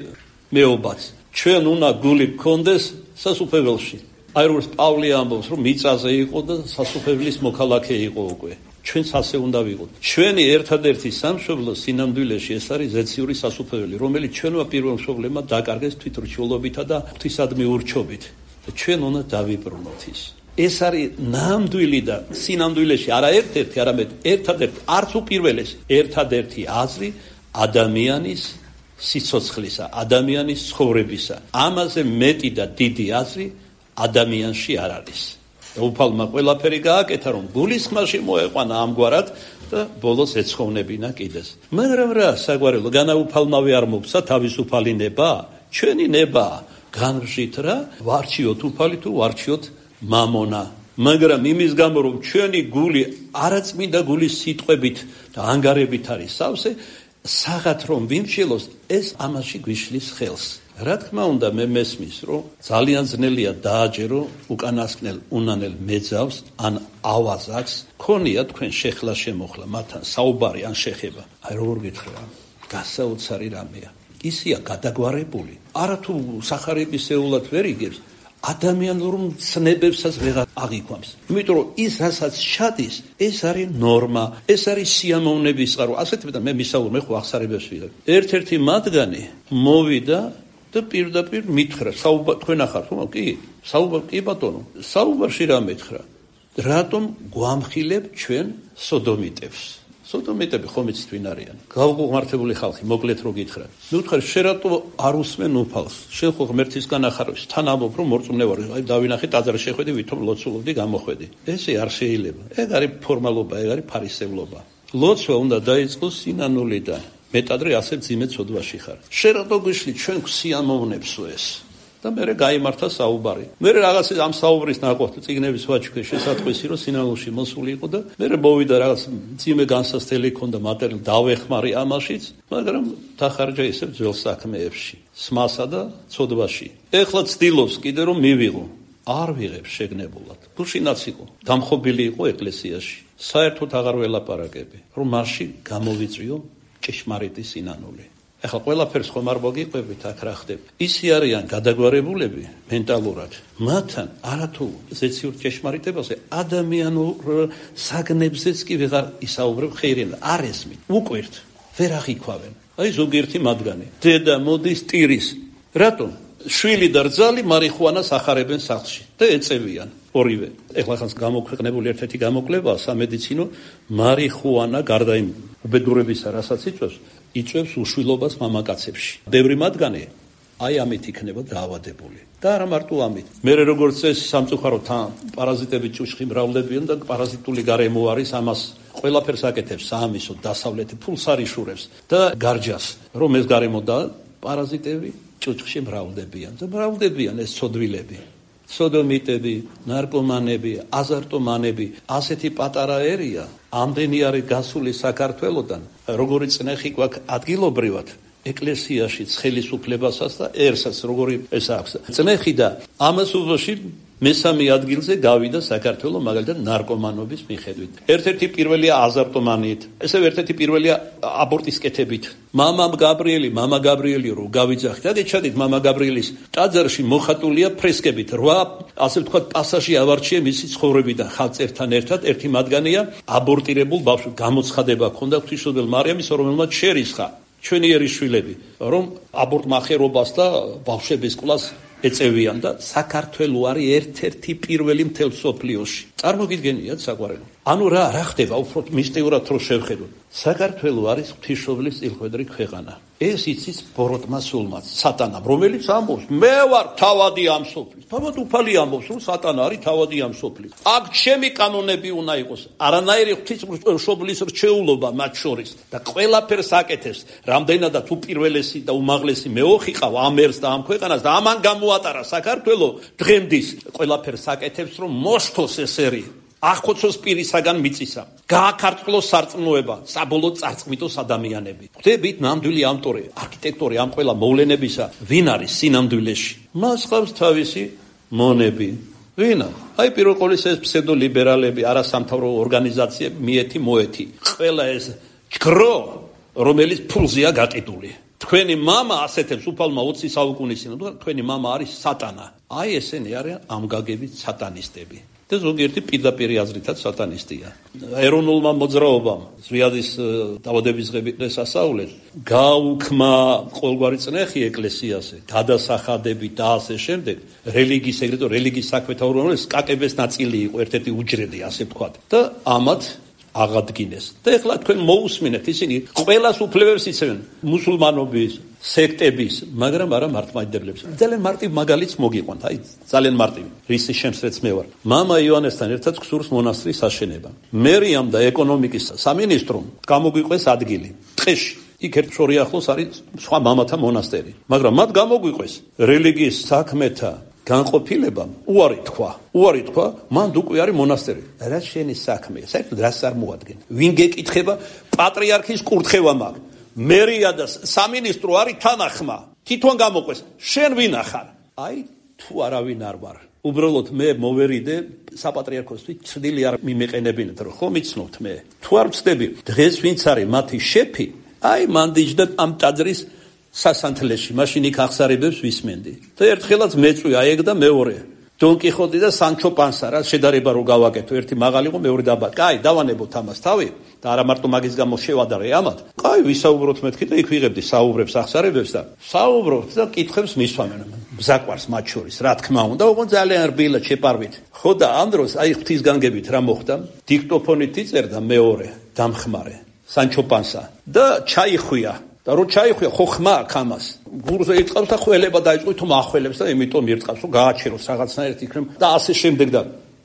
მეობაც. ჩვენ უნდა გული გქონდეს სასუფეველში. აი როგორც პავლე ამბობს, რომ მიწაზე იყო და სასუფეველის მოქალაქე იყო უკვე. ჩვენც ასე უნდა ვიყოთ. ჩვენი ერთადერთი სამშობლო სინამდვილეში ეს არის ზეციური სასუფეველი, რომელიც ჩვენმა პირველ მშობლებმა დაკარგეს თვითრჩეულობითა და ღვთისადმი ურჩობით. და ჩვენ უნდა დავიბრუნოთ ის. ეს არის ნამდვილი და სინამდვილეში არა ერთ-ერთი, არამედ ერთადერთი, არც უპირველესი, ერთადერთი აზრი ადამიანის სიცოცხლისა, ადამიანის ცხოვრებისა. ამაზე მეტი და დიდი აზრი ადამიანში არ არის. უფალმა ყველაფერი გააკეთა, რომ გულისხმაში მოეყვანა ამგვარად და ბოლოს ეცხოვნებინა კიდეს. მაგრამ რა, საგვარელო, განაუფალმავე არ მოგცა თავისუფალი ნება? ჩვენი ნება განვშით რა, ვარჩიოთ უფალი თუ ვარჩიოთ მამონა. მაგრამ იმის გამო, რომ ჩვენი გული არაწმინდა გულის სიტყვებით და ანგარებით არის სავსე, საღათ რომ ვიმშილოს, ეს ამაში გვიშლის ხელს. რა თქმა უნდა, მე მესმის, რომ ძალიან ძნელია დააჯერო უკანასკნელ უნანელ მეძავს ან ავაზაკს, ქონია თქვენ შეხლა შემოხლა მათთან საუბარი ან შეხება. აი როგორ გითხრა, გასაოცარი რამეა. ისია გადაგვარებული. არათუ სახარების ეულად ვერ იგებს, ადამიანურ ცნებებსაც ვეღარ აღიქვამს. იმიტომ რომ ის რასაც შადის, ეს არის ნორმა, ეს არის სიამოვნების წყარო. ასეთ და მე მისაუბრ, მე ხო აღსარებებს ვიღებ. ერთ-ერთი მათგანი მოვიდა და პირდაპირ მითხრა, საუბარ თქვენ ახართ, ხო? კი, საუბარ კი ბატონო. საუბარში რა მითხრა? რატომ გვამხილებ ჩვენ სოდომიტებს? სოდომიტები ხომ იცით ვინ არიან? გავუღმართებული ხალხი, მოკლედ რო გითხრა. მე ვთქვი, შენ რატო არ უსმენ უფალს? შენ ხო ღმერთისგან ახარებს, თან ამბობ, რომ მორწმუნე ვარ. აი დავინახე ტაძარში შეხვედი, ვითომ ლოცულობდი, გამოხვედი. ესე არ შეიძლება. ეგ არის ფორმალობა, ეგ არის ფარისევლობა. ლოცვა უნდა დაიწყოს სინანულიდან. მეტადრე ასე ძიმე ცოდვაში ხარ. შენ რატო გიშლი ჩვენ გვსიამოვნებსო ეს? და მე გაიმართა საუბარი. მე რაღაც ამ საუბრის ნაყოფ წიგნების ვაჩქე შესაძყვისი, რომ სინანულში მოსული იყო და მე მოვიდა რაღაც ძიმე განსასწრელი ქონდა მატერიალი დავეხმარი ამაშიც, მაგრამ დახარჯა ისე ძველ საქმეებში, სმასა და ცოდვაში. ეხლა ცდილობს კიდე რომ მივიღო. არ ვიღებ შეგნებულად. გუშინაც იყო, დამხობილი იყო ეკლესიაში. საერთოდ აღარ ველაპარაკები, რომ მასში გამოვიწვიო ჭეშმარიტი სინანული. ახლა ყველაფერს ხომ არ მოგიყვებით აქ რა ხდება. ისე არიან გადაგვარებულები მენტალურად. მათთან არათუ ზეციურ ჭეშმარიტებაზე ადამიანურ საგნებზეც კი ვეღარ ისაუბრებ ხეირენ არ ესმით. უკვირთ ვერ აღიქვავენ. აი ზოგიერთი მათგანი დედა მოდის ტირის. რატომ? შვილი და რძალი მარიხუანას ახარებენ სახლში და ეწევიან ორივე. ეხლა ხანს გამოქვეყნებული ერთ-ერთი გამოკვლევაა სამედიცინო მარიხუანა გარდა იმ უბედურებისა, რასაც იწვევს, იწვევს უშვილობას მამაკაცებში. ბევრი მათგანი აი ამით იქნება დაავადებული. და არა მარტო ამით. მერე როგორც წესი სამწუხაროდ პარაზიტები ჭუჭხი მრავლდებიან და პარაზიტული გარემო არის ამას ყველაფერს აკეთებს საამისო დასავლეთი ფულს არიშურებს და გარჯას რომ ეს გარემო და პარაზიტები ჭუჭხში მრავლდებიან და მრავლდებიან ეს ცოდვილები. სოდომიტები, ნარკომანები, აზარტომანები, ასეთი პატარა ერია, ამდენი არის გასული საქართველოდან, როგორი წნეხი გვაქვს ადგილობრივად, ეკლესიაში ხელისუფლებასაც და ერსაც როგორი ეს აქვს. წნეხი და ამას უბოში მესამე ადგილზე გავიდა საქართველო მაგალითად ნარკომანობის მიხედვით. ერთ-ერთი პირველია აზარტომანიით, ესევ ერთ-ერთი პირველია აბორტის კეთებით. მამამ გაბრიელი, მამა გაბრიელი რო გავიძახით, აგეჩადით მამა გაბრიელის ტაძარში მოხატულია ფრესკებით, რვა ასე ვთქვათ პასაჟი ავარჩიე მისი ცხოვრებიდან ხალწერთან ერთად, ერთი მათგანია აბორტირებულ ბავშვს, გამოცხადება ჰქონდა ღვთისმშობელ მარიამის, რომელმაც შერისხა ჩვენი ერისშვილები, რომ აბორტმახერობას და ბავშვების კლას ეწევიან და საქართველო არის ერთ-ერთი პირველი მთელ სოფლიოში. წარმოგიდგენიათ საყვარელო. ანუ რა რა ხდება უფრო მისტიურად რო შევხედოთ. საქართველო არის ღვთისმშობლის წილხვედრი ქვეყანა. ეს იცის ბოროტმა სულმაც, სატანამ, რომელიც ამბობს, მე ვარ თავადი ამ სოფლის. თავად უფალი ამბობს, რომ სატანა არის თავადი ამ სოფლის. აქ ჩემი კანონები უნდა იყოს. არანაირი ღვთისმშობლის რჩეულობა მათ შორის და ყველაფერს აკეთებს. რამდენადაც უპირველესი და უმაღლესი მეოხი ყავ ამ ერს და ამ ქვეყანას და ამან გამოატარა საქართველო დღემდის ყველაფერს აკეთებს, რომ მოშთოს ეს ერი. ახოცოს პირისაგან მიწისა, გააქარწყლოს სარწმუნოება, საბოლოოდ წარწმიტოს ადამიანები. ხვდებით, ნამდვილი ავტორი, არქიტექტორი ამ ყველა მოვლენებისა, ვინ არის სინამდვილეში? მას ყავს თავისი მონები. ვინა? აი პირველ ყოვლისა ეს ფსევდოლიბერალები, არასამთავრობო ორგანიზაციები, მიეთი მოეთი. ყველა ეს ჯგრო, რომელიც ფულზეა გაკიდული. თქვენი მამა ასეთებს უფალმა ოცი საუკუნის წინ, თქვენი მამა არის სატანა. აი ესენი არიან ამგაგებით სატანისტები. და ზოგიერთი პირდაპირი აზრითაც სატანისტია. ეროვნულმა მოძრაობამ ზვიადის დაავადების დღეს ასაულეთ, გაუქმა ყოველგვარი წნეხი ეკლესიაზე, გადასახადები და ასე შემდეგ, რელიგიის ეგრეთო რელიგიის საქმეთა უბრალოდ კაკების ნაწილი იყო, ერთ-ერთი უჯრედი, ასე ვთქვათ. და ამათ აღადგინეს. და ეხლა თქვენ მოусმინეთ, ისინი ყველას უფლებებს იცემენ, მუსულმანობის, სექტების, მაგრამ არა მართლმადიდებლებს. ძალიან მარტივ მაგალითს მოგიყვანთ, აი ძალიან მარტივი. რისი შემსწრეც მე ვარ. მამა იოანესთან ერთად გსურს მონასტრის აშენება. მერიამ და ეკონომიკის სამინისტრომ გამოგვიყვეს ადგილი. ტყეში. იქ ერთ შორი ახლოს არის სხვა მამათა მონასტერი. მაგრამ მათ გამოგვიყვეს რელიგიის საქმეთა განყოფილებამ უარი თქვა. უარი თქვა, მანდ უკვე არის მონასტერი. რა შენი საქმეა? საერთოდ რას არ მოადგენ? ვინ გეკითხება? პატრიარქის კურთხევა მაქვს. მერია და სამინისტრო არის თანახმა. თვითონ გამოყვეს. შენ ვინ ახარ? აი თუ არავინ არ ვარ. უბრალოდ მე მოვერიდე საპატრიარქოსთვის ცდილი არ მიმეყენებინეთ, რომ ხომ იცნობთ მე. თუ არ ვწდები, დღეს ვინც არის მათი შეფი, აი მანდიჯდა ამ ტაძრის სასანთლეში, მაშინ იქ ახსარებებს ვისმენდი. და ერთხელაც მეწვი აეგ და მეორე. დონ კიხოტი და სანჩო პანსა, რა შედარება რო გავაკეთო, ერთი მაღალი იყო, მეორე დაბალი. კაი, დავანებოთ ამას თავი და არა მარტო მაგის გამო შევადარე ამათ. კაი, ვისაუბროთ მეთქი და იქ ვიღებდი საუბრებს, ახსარებებს და საუბრობთ და კითხებს მისვამენ. ბზაკვარს მათ შორის, რა თქმა უნდა, უყო ძალიან რბილად შეპარვით. ხო და ამ დროს აი ღვთისგანგებით რა მოხდა? დიქტოფონით იწერდა მეორე, დამხმარე, სანჩო პანსა და ჩაიხვია. და რო ჩაიხვია, ხო ხმა აქ ამას. გურზე იწავს და ხველება დაიწყო, თუმ ახველებს და იმიტომ ირწყავს, რომ გააჩეროს რაღაცნაირად იქნებ და ასე შემდეგ და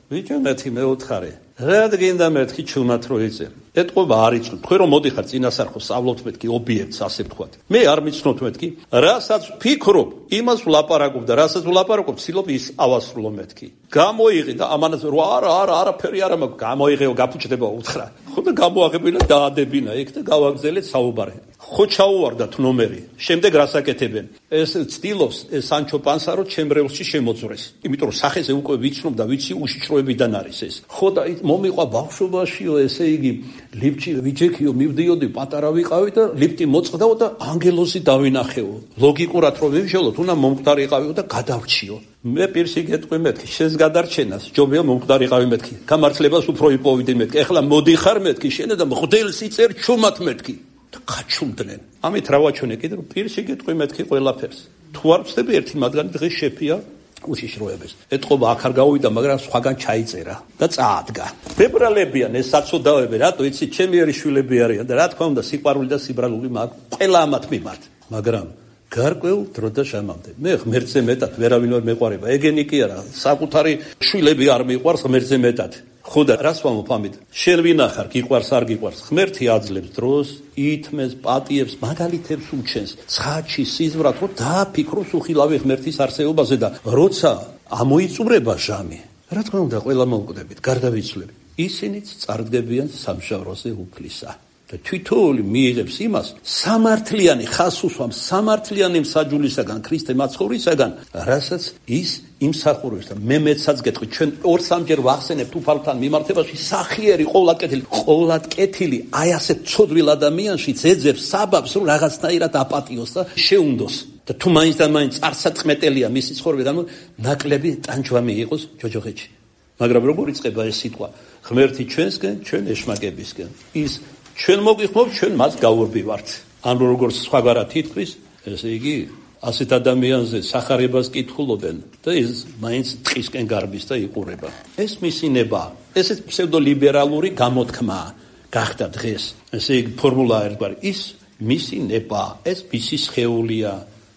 ვიჭო მეთქი მეოთხარე. რა გინდა მეთქი ჩუმად რო იწერ. ეთყობა არ იცნობ. თქვენ რომ მოდიხარ წინასახო სწავლობთ მეთქი ობიექტს, ასე ვთქვათ. მე არ მიცნობთ მეთქი, რასაც ფიქრობ, იმას ვლაპარაკობ და რასაც ვლაპარაკობ, ცდილობ ის ავასრულო მეთქი. გამოიღე და ამანაც რო არა, არა, არაფერი არ მაქვს, გამოიღეო, გაფუჭდება უთხრა. ხო და გამოაღებინა დაადებინა იქ და გავაგზელეთ საუბარი. ხო ჩაუვარდათ ნომერი. შემდეგ რას აკეთებენ? ეს ცდილობს სანჩო პანსა რომ ჩემბრეულში შემოძვრეს. იმიტომ რომ სახეზე უკვე ვიცნობ და ვიცი უშიშროებიდან არის ეს. ხო და მომიყვა ბავშვობაშიო, ესე იგი ლიფტში ვიჯექიო, მივდიოდი, პატარა ვიყავი და ლიფტი მოწყდაო და ანგელოზი დავინახეო. ლოგიკურად რომ ვიმშველოთ, უნდა მომკვდარიყავიო და გადავრჩიო. მე პირში გეტყვი მეთქი, შენს გადარჩენას ჯობია მომკვდარიყავი მეთქი. გამართლებას უფრო იპოვიდი მეთქი. ეხლა მოდიხარ მეთქი, შენ და მღვდელს იწერ ჩუმად მეთქი. ხაჩუმდნენ. ამით რა ვაჩვენე კიდე რომ პირში გეტყვი მეთქი ყველაფერს. თუ არ ვწდები ერთი მათგანი დღეს შეფია უშიშროების. ეთყობა აქ არ გავიდა, მაგრამ სხვაგან ჩაიწერა და წაადგა. ფებრალებიან ეს საცოდავები, რატო იცი, ჩემი ერი შვილები არიან და რა თქმა უნდა სიყვარული და სიბრალული მაქვს ყველა ამათ მიმართ. მაგრამ გარკვეულ დრო და შამამდე. მე ღმერთზე მეტად ვერავინ ვერ მეყვარება. ეგენი კი არა, საკუთარი შვილები არ მიყვარს ღმერთზე მეტად. ხო და რას ვამბობ ამით? შენ ვინახარ, გიყვარს არ გიყვარს? ღმერთი აძლევს დროს, ითმეს, პატიებს, მაგალითებს უჩენს, ცხადში, სიზმრად, რომ დააფიქროს უხილავი ღმერთის არსებობაზე და როცა ამოიწურება ჟამი, რა თქმა უნდა, ყველა მოვკვდებით, გარდავიცვლები. ისინიც წარდგებიან სამშაბლოზე უფლისა. და თვითოული მიიღებს იმას, სამართლიანი ხას უსვამს სამართლიანი მსაჯულისაგან, ქრისტე მაცხოვრისაგან, რასაც ის იმსახურებს და მე მეცაც გეტყვი, ჩვენ ორ-სამჯერ ვახსენებთ უფალთან მიმართებაში, სახიერი ყოვლად კეთილი, ყოვლად კეთილი, აი ასეთ ცოდვილ ადამიანში ეძებს საბაბს, რომ რაღაცნაირად აპატიოს და შეუნდოს. და თუ მაინც და მაინც წარსაწმეტელია მისი ცხოვრებიდან, ნაკლები ტანჯვამი იყოს ჯოჯოხეთში. მაგრამ როგორ იწყება ეს სიტყვა? ღმერთი ჩვენსკენ, ჩვენ ეშმაკებისკენ. ის ჩვენ მოგიხმობ, ჩვენ მას გავურბივართ. ან როგორც სხვაგვარად ითქვის, ესე იგი, ასეთ ადამიანზე სახარებას კითხულობენ და ის მაინც ტყისკენ გარბის და იყურება. ეს მისი ნება, ესეც ფსევდოლიბერალური გამოთქმაა გახდა დღეს. ესე იგი, ფორმულა ერთგვარი, ის მისი ნება, ეს მისი სხეულია.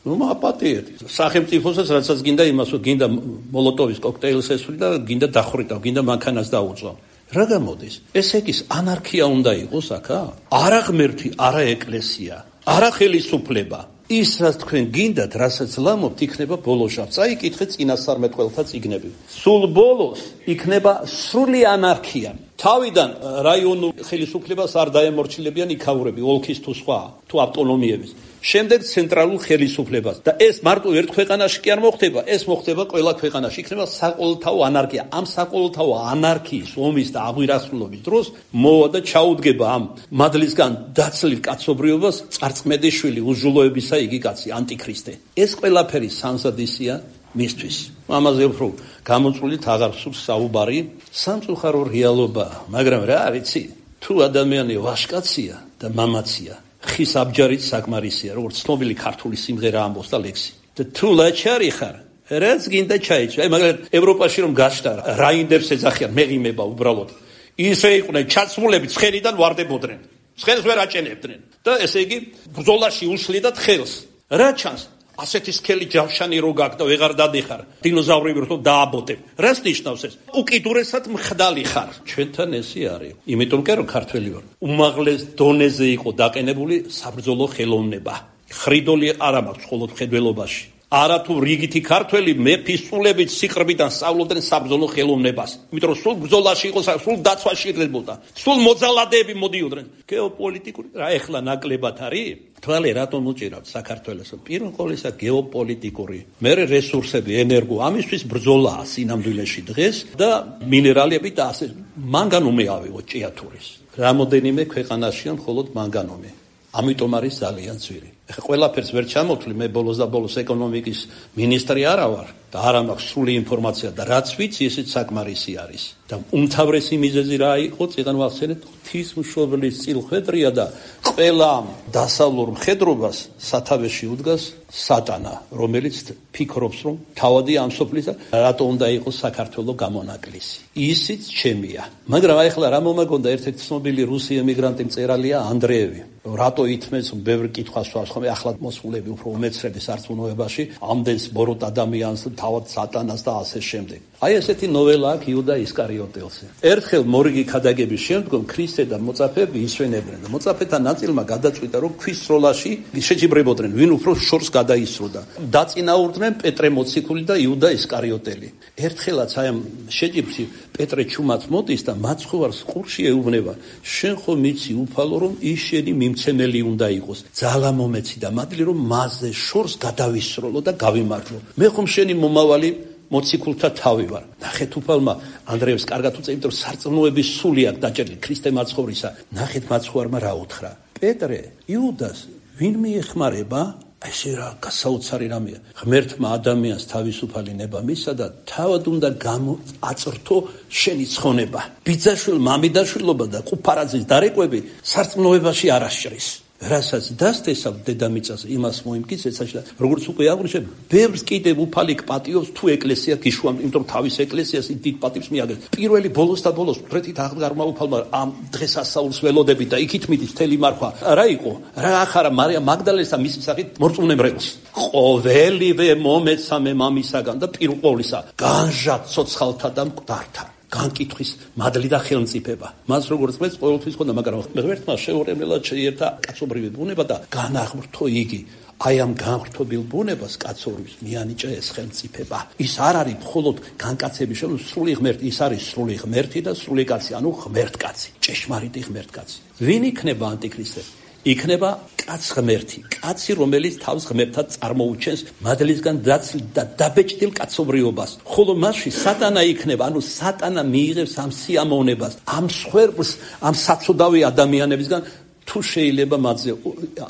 ნუ აპატიეთ. სახელმწიფოსაც რასაც გინდა იმას, გინდა მოლოტოვის კოქტეილს ესვრი და გინდა დახვრიტა, გინდა მანქანას დაუწვა. რა გამოდის? ესე იგი ანარქია უნდა იყოს აქა? არა ღმერთი, არა ეკლესია, არა ხელისუფლება. ის რაც თქვენ გინდათ, რასაც ლამობთ, იქნება ბოლოშავ. წაიკითხეთ წინასწარმეტყველთა წიგნები. სულ ბოლოს იქნება სრული ანარქია. თავიდან რაიონულ ხელისუფლებას არ დაემორჩილებიან იქაურები, ოლქის თუ სხვა, თუ ავტონომიების. შემდეგ ცენტრალურ ხელისუფლებას და ეს მარტო ერთ ქვეყანაში კი არ მოხდება, ეს მოხდება ყველა ქვეყანაში. იქნება საყოველთაო ანარქია. ამ საყოველთაო ანარქიის ომის და აღვირასრულობის დროს მოვა და ჩაუდგება ამ მადლისგან დაცლილ კაცობრიობას წარწმედიშვილი უზრუნველობისა იგი კაცი ანტიქრისტე. ეს ყველაფერი სამზადისია მისთვის. ამაზე უფრო გამოწვევით აღარ სურს საუბარი, სამწუხარო რეალობა, მაგრამ რა არიცი, თუ ადამიანი ვაშკაცია და მამაცია, ხის აბჯარით საკმარისია, როგორც ცნობილი ქართული სიმღერა ამბობს და ლექსი. და თუ ლაჩარი ხარ, რაც გინდა ჩაიჭრა. აი მაგალითად ევროპაში რომ გაშტა, რაინდერს ეძახიან, მეღიმება უბრალოდ. ისე იყვნენ ჩაცმულები, ცხენიდან ვარდებოდნენ. ცხენს ვერ აჭენებდნენ. და ესე იგი ბრძოლაში უსლიდათ ხელს. რა ჩანს? ასეთი სქელი ჯავშანი რო გაქვს და ვეღარ დადიხარ, დინოზავრები რო დააბოტებ. რას ნიშნავს ეს? უკიდურესად მხდალი ხარ. ჩვენთან ესე არის. იმიტომ კი რომ ქართველი ვარ. უმაღლეს დონეზე იყო დაყენებული საბრძოლო ხელოვნება. ხრიდოლი არ მაქვს მხოლოდ მხედველობაში. არა თუ რიგითი ქართველი მეფისწულებით სიყრბიდან სწავლობდნენ საბრძოლო ხელოვნებას. იმიტომ რომ სულ ბრძოლაში იყო, სულ დაცვაში იღებოდა. სულ მოძალადეები მოდიოდნენ. გეოპოლიტიკური რა ეხლა ნაკლებად არის? თვალე რატომ უჭირავთ საქართველოს? პირველ ყოვლისა გეოპოლიტიკური, მერე რესურსები, ენერგო, ამისთვის ბრძოლაა სინამდვილეში დღეს და მინერალები და ასე. მანგანუმი ავიღოთ ჭიათურის. რამოდენიმე ქვეყანაშია მხოლოდ მანგანუმი. ამიტომ არის ძალიან ძვირი. ეხლა ყველაფერს ვერ ჩამოვთვლი, მე ბოლოს და ბოლოს ეკონომიკის მინისტრი არა ვარ და არ მაქვს სრული ინფორმაცია და რაც ვიცი, ესეც საკმარისი არის. და უმთავრესი მიზეზი რა იყო? წეგან ვახსენეთ, ღვთისმშობლის წილხვედრია და ყველა დასავლურ მხედრობას სათავეში უდგას სატანა, რომელიც ფიქრობს, რომ თავადი ამ სოფლისა რატო უნდა იყოს საქართველოს გამონაკლისი. ისიც ჩემია. მაგრამ აი ახლა რა მომაგონდა ერთ-ერთი ცნობილი რუსი ემიგრანტი მწერალია ანდრეევი. რატო ითმეს ბევრი კითხვას ვარს ხომ ახლა მოსულები უფრო უმეცრედი სარწმუნოებაში ამდენს ბოროტ ადამიანს, თავად სატანას და ასე შემდეგ. აი ესეთი ნოველა აქვს იუდა ისკარიოტის ისკარიოტელზე. ერთხელ მორიგი ქადაგების შემდგომ ქრისტე და მოწაფეები ისვენებდნენ და მოწაფეთა ნაწილმა გადაწყვიტა, რომ ქვის სროლაში შეჯიბრებოდნენ, ვინ უფრო შორს გადაისროდა. დაწინაურდნენ პეტრე მოციქული და იუდა ისკარიოტელი. ერთხელაც აი ამ შეჯიბრში პეტრე ჩუმად მოდის და მაცხოვარს ყურში ეუბნება, შენ ხომ იცი უფალო, რომ ის შენი მიმცემელი უნდა იყოს. ძალა მომეცი და მადლი რომ მასზე შორს გადავისროლო და გავიმართლო. მე ხომ შენი მომავალი მოციქულთა თავი ვარ. ნახეთ უფალმა ანდრეევს კარგად უწევით, რომ სარწმუნოების სული აქვს დაჭერილი ქრისტე მაცხოვრისა. ნახეთ მაცხოვარმა რა უთხრა. პეტრე, იუდას, ვინ მიეხმარება? ესე რა გასაოცარი რამეა. ღმერთმა ადამიანს თავისუფალი ნება მისცა და თავად უნდა გამოაწრთო შენი ცხონება. ბიძაშვილ მამიდაშვილობა და ყუფარაძის დარეკვები სარწმუნოებაში არ ასჭრის. რასაც დასთესავ დედამიწას იმას მოიმკიცეცაში და როგორც უკვე აღნიშნე, ბევრს კიდევ უფალი პატიოს თუ ეკლესია გიშვამ, იმიტომ რომ თავის ეკლესიას დიდ პატივს მიაგებს. პირველი ბოლოს და ბოლოს ფრეთით აღდგარმა უფალმა ამ დღესასწაულს ველოდებით და იქით მიდის თელი მარხვა. რა იყო? რა ახარა მარია მაგდალენის და მისი სახით მორწმუნებრებს. ყოველივე მომეცამე მამისაგან და პირველისა განჟა ცოცხალთა და მკვდართა. განკითხვის მადლი და ხელმწიფება. მას როგორც მეც ყოველთვის ხონდა, მაგრამ ღმერთმა შეურევლად შეიერთა კაცობრივი ბუნება და განაღმრთო იგი. აი ამ განღრთობილ ბუნებას კაცობრიობს მიანიჭა ეს ხელმწიფება. ის არ არის მხოლოდ განკაცების შემო სრული ღმერთი, ის არის სრული ღმერთი და სრული კაცი, ანუ ღმერთკაცი, ჭეშმარიტი ღმერთკაცი. ვინ იქნება ანტიქრისტე? იქნება კაც ღმერთი, კაცი, რომელიც თავს ღმერთად წარმოუჩენს მადლისგან დაცლ და დაბეჭდილ კაცობრიობას. ხოლო მასში სატანა იქნება, ანუ სატანა მიიღებს ამ სიამოვნებას, ამ სხვერპლს, ამ საცოდავი ადამიანებისგან. თუ შეიძლება მათზე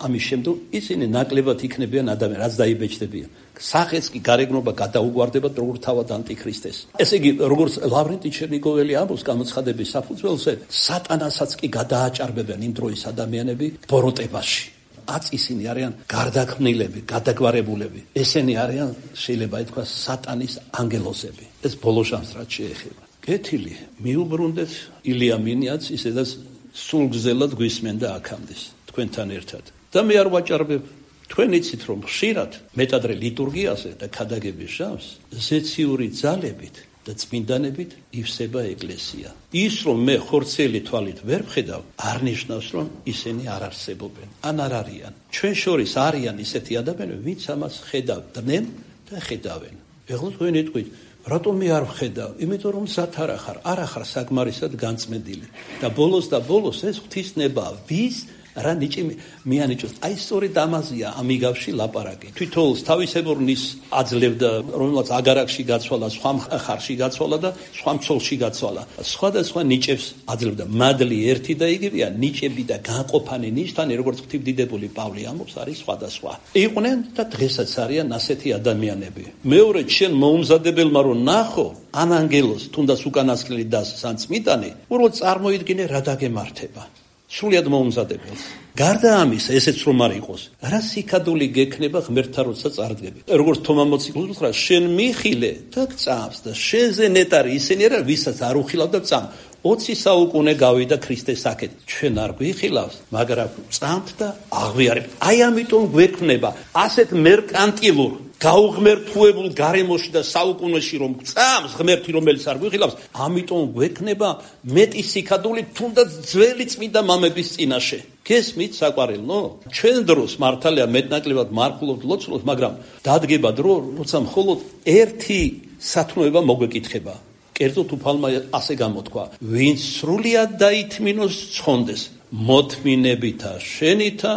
ამის შემდგომ ისინი ნაკლებად იქნებიან ადამიანი, რაც დაიბეჭდებიან. სახეც კი გარეგნობა გადაუგვარდება როგორ თავად ანტიქრისტეს. ესე იგი, როგორც ლავრენტი ჩერნიგოველი ამბობს გამოცხადების საფუძველზე, სატანასაც კი გადააჭარბებენ იმ დროის ადამიანები ბოროტებაში. აც ისინი არიან გარდაქმნილები, გადაგვარებულები. ესენი არიან, შეიძლება ითქვას, სატანის ანგელოზები. ეს ბოლო ჟამს რაც შეეხება. კეთილი, მიუბრუნდეთ ილია მინიაც, ისედაც სულგზელად გვისმენდა აქამდე თქვენთან ერთად. და მე არ ვაჭარბებ, თქვენ იცით რომ ხშირად მეტადრე ლიტურგიაზე და ქადაგების ჟამს ზეციური ძალებით და წმინდანებით ივსება ეკლესია. ის რომ მე ხორცელი თვალით ვერ ვხედავ, არ ნიშნავს რომ ისინი არ არსებობენ, ან არ არიან. ჩვენ შორის არიან ისეთი ადამიანები, ვინც ამას ხედავდნენ და ხედავენ. ეხლა თქვენ იტყვით, რატომ მე არ ვხედავ? იმიტომ რომ მზად არ ახარ, არ ახარ საგმარისად განწმენდილი. და ბოლოს და ბოლოს ეს ღვთისნებაა, ვის რა ნიჭი მიანიჭოს. აი სწორედ ამაზეა ამიგავში ლაპარაკი. თვითონს თავისებურნის აძლევდა, რომელსაც აგარაკში გაცვალა, სხვა ხარში გაცვალა და სხვა მცოლში გაცვალა. სხვადასხვა ნიჭებს აძლევდა. მადლი ერთი და იგივეა, ნიჭები და განყოფანი ნიშნანი, როგორც ღვთივდიდებული პავლე ამბობს, არის სხვადასხვა. იყვნენ და დღესაც არიან ასეთი ადამიანები. მეორე, შენ მოუმზადებელმა რომ ნახო ან ანგელოს, თუნდაც უკანასკნელი დასს ან წმიდანი, უბრალოდ წარმოიდგინე რა დაგემართება. სრულიად მოუმზადებელს. გარდა ამისა, ესეც რომ არ იყოს, რა სიკადული გექნება ღმერთთან როცა წარდგები. როგორც თომა მოციქულს უთხრა, შენ მიხილე და გწამს და შენზე ნეტარი ისინი არა, ვისაც არ უხილავ და წამ. ოცი საუკუნე გავიდა ქრისტეს აქეთ. ჩვენ არ გვიხილავს, მაგრამ წამთ და აღვიარებთ. აი ამიტომ გვექნება ასეთ მერკანტილურ გაუღმერთუებულ გარემოში და საუკუნეში რომ წამს ღმერთი, რომელიც არ გვიხილავს, ამიტომ გვექნება მეტი სიკადული თუნდაც ძველი წმინდა მამების წინაშე. გესმით საყვარელო? ჩვენ დროს მართალია მეტნაკლებად მარხულობთ, ლოცულობთ, მაგრამ დადგება დრო, როცა მხოლოდ ერთი სათნოება მოგვეკითხება. კერძოდ უფალმა ასე გამოთქვა, ვინც სრულიად დაითმინოს ცხონდეს, მოთმინებითა შენითა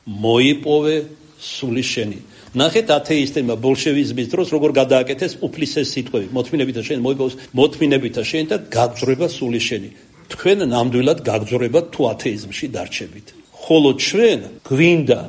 მოიპოვე სული შენი. ნახეთ ათეისტებმა ბოლშევიზმის დროს როგორ გადააკეთეს უფლის ეს სიტყვები, მოთმინებითა შენ მოიპოვოს, მოთმინებითა შენ და გაგძრება სული შენი. თქვენ ნამდვილად გაგძრებათ თუ ათეიზმში დარჩებით. ხოლო ჩვენ გვინდა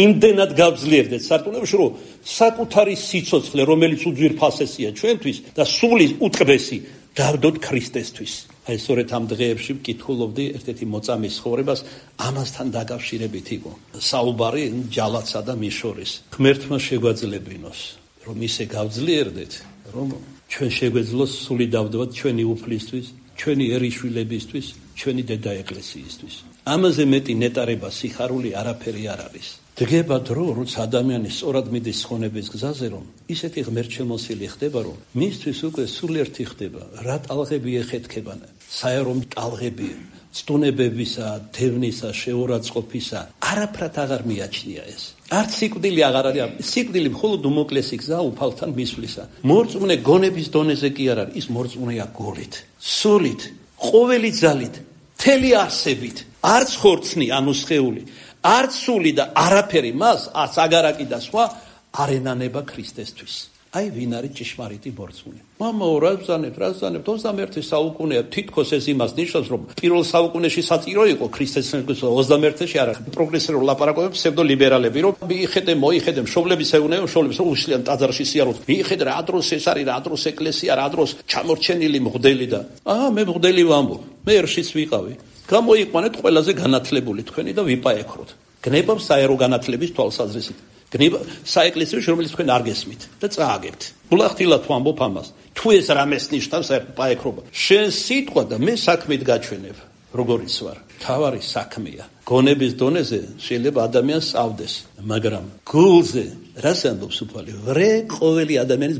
იმდენად გავძლიერდეთ სარწმუნოებში, რომ საკუთარი სიცოცხლე, რომელიც უძვირფასესია ჩვენთვის და სული უტყბესი, დავდოთ ქრისტესთვის. აი სწორედ ამ დღეებში ვკითხულობდი ერთ-ერთი მოწამის ცხოვრებას, ამასთან დაკავშირებით იყო საუბარი ჯალათსა და მის შორის. ღმერთმა შეგვაძლებინოს, რომ ისე გავძლიერდეთ, რომ ჩვენ შეგვეძლოს სული დავდოთ ჩვენი უფლისთვის, ჩვენი ერიშვილებისთვის, ჩვენი დედა ეკლესიისთვის. ამაზე მეტი ნეტარება, სიხარული არაფერი არ არის. დგება დრო, როცა ადამიანი სწორად მიდის ხონების გზაზე, რომ ისეთი ღმერთშემოსილი ხდება, რომ მისთვის უკვე სულერთი ხდება, რა ტალღები ეხეთქება, საერო ტალღები, ცდუნებებისა, დევნისა, შეურაცხყოფისა, არაფრად აღარ მიაჩნია ეს. არც სიკვდილი აღარ არის, სიკვდილი მხოლოდ უმოკლესი გზა უფალთან მისვლისა. მორწმუნე გონების დონეზე კი არ არის, ის მორწმუნეა გულით, სულით, ყოველი ძალით, მთელი არსებით, არც ხორცნი, ანუ სხეული, არც სული და არაფერი მას, არც აგარაკი და სხვა არ ენანება ქრისტესთვის. აი ვინ არის ჭიშმარიტი მორწმუნე. მამაო, რა ბრძანებთ, რა ბრძანებთ, ოცდამეერთე საუკუნეა, თითქოს ეს იმას ნიშნავს, რომ პირველ საუკუნეში საჭირო იყო ქრისტესთვის, ოცდამეერთეში არა. პროგრესიულ ლაპარაკობებს ფსევდოლიბერალები, რომ მიიხედე, მოიხედე, მშობლების ეუბნებიან, მშობლებს უშლიან ტაძარში სიაროთ. მიიხედე, რა დროს ეს არის, რა დროს ეკლესია, რა დროს ჩამორჩენილი მღვდელი და აა მე მღვდელი ვამბობ, მე ერშიც ვიყავი. გამოიყვანეთ ყველაზე განათლებული თქვენი და ვიპაექროთ. გნებავ საერო განათლების თვალსაზრისით. გნება საეკლესიო რომელიც თქვენ არ გესმით და წააგებთ. ულახtildeლად ვამბობ ამას. თუ ეს რამეს ნიშნავს საექრო შენ სიტყვა და მე საქმით გაჩვენებ. როგორიც ვარ. თავარი საქმეა. გონების დონეზე შეიძლება ადამიანს ავდეს, მაგრამ გულზე რას ამბობს უფალი? ვრე ყოველი ადამიანის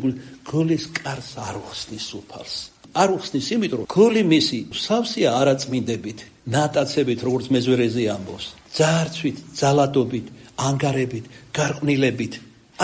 გულის კარს არ უხსნის უფალს. არ უხსნის იმიტომ რომ გული მისი სავსეა არაწმინდებით, ნატაცებით, როგორც მეზვერეზე ამბობს. ძარცვით, ძალადობით, ანგარებით, გარყვნილებით.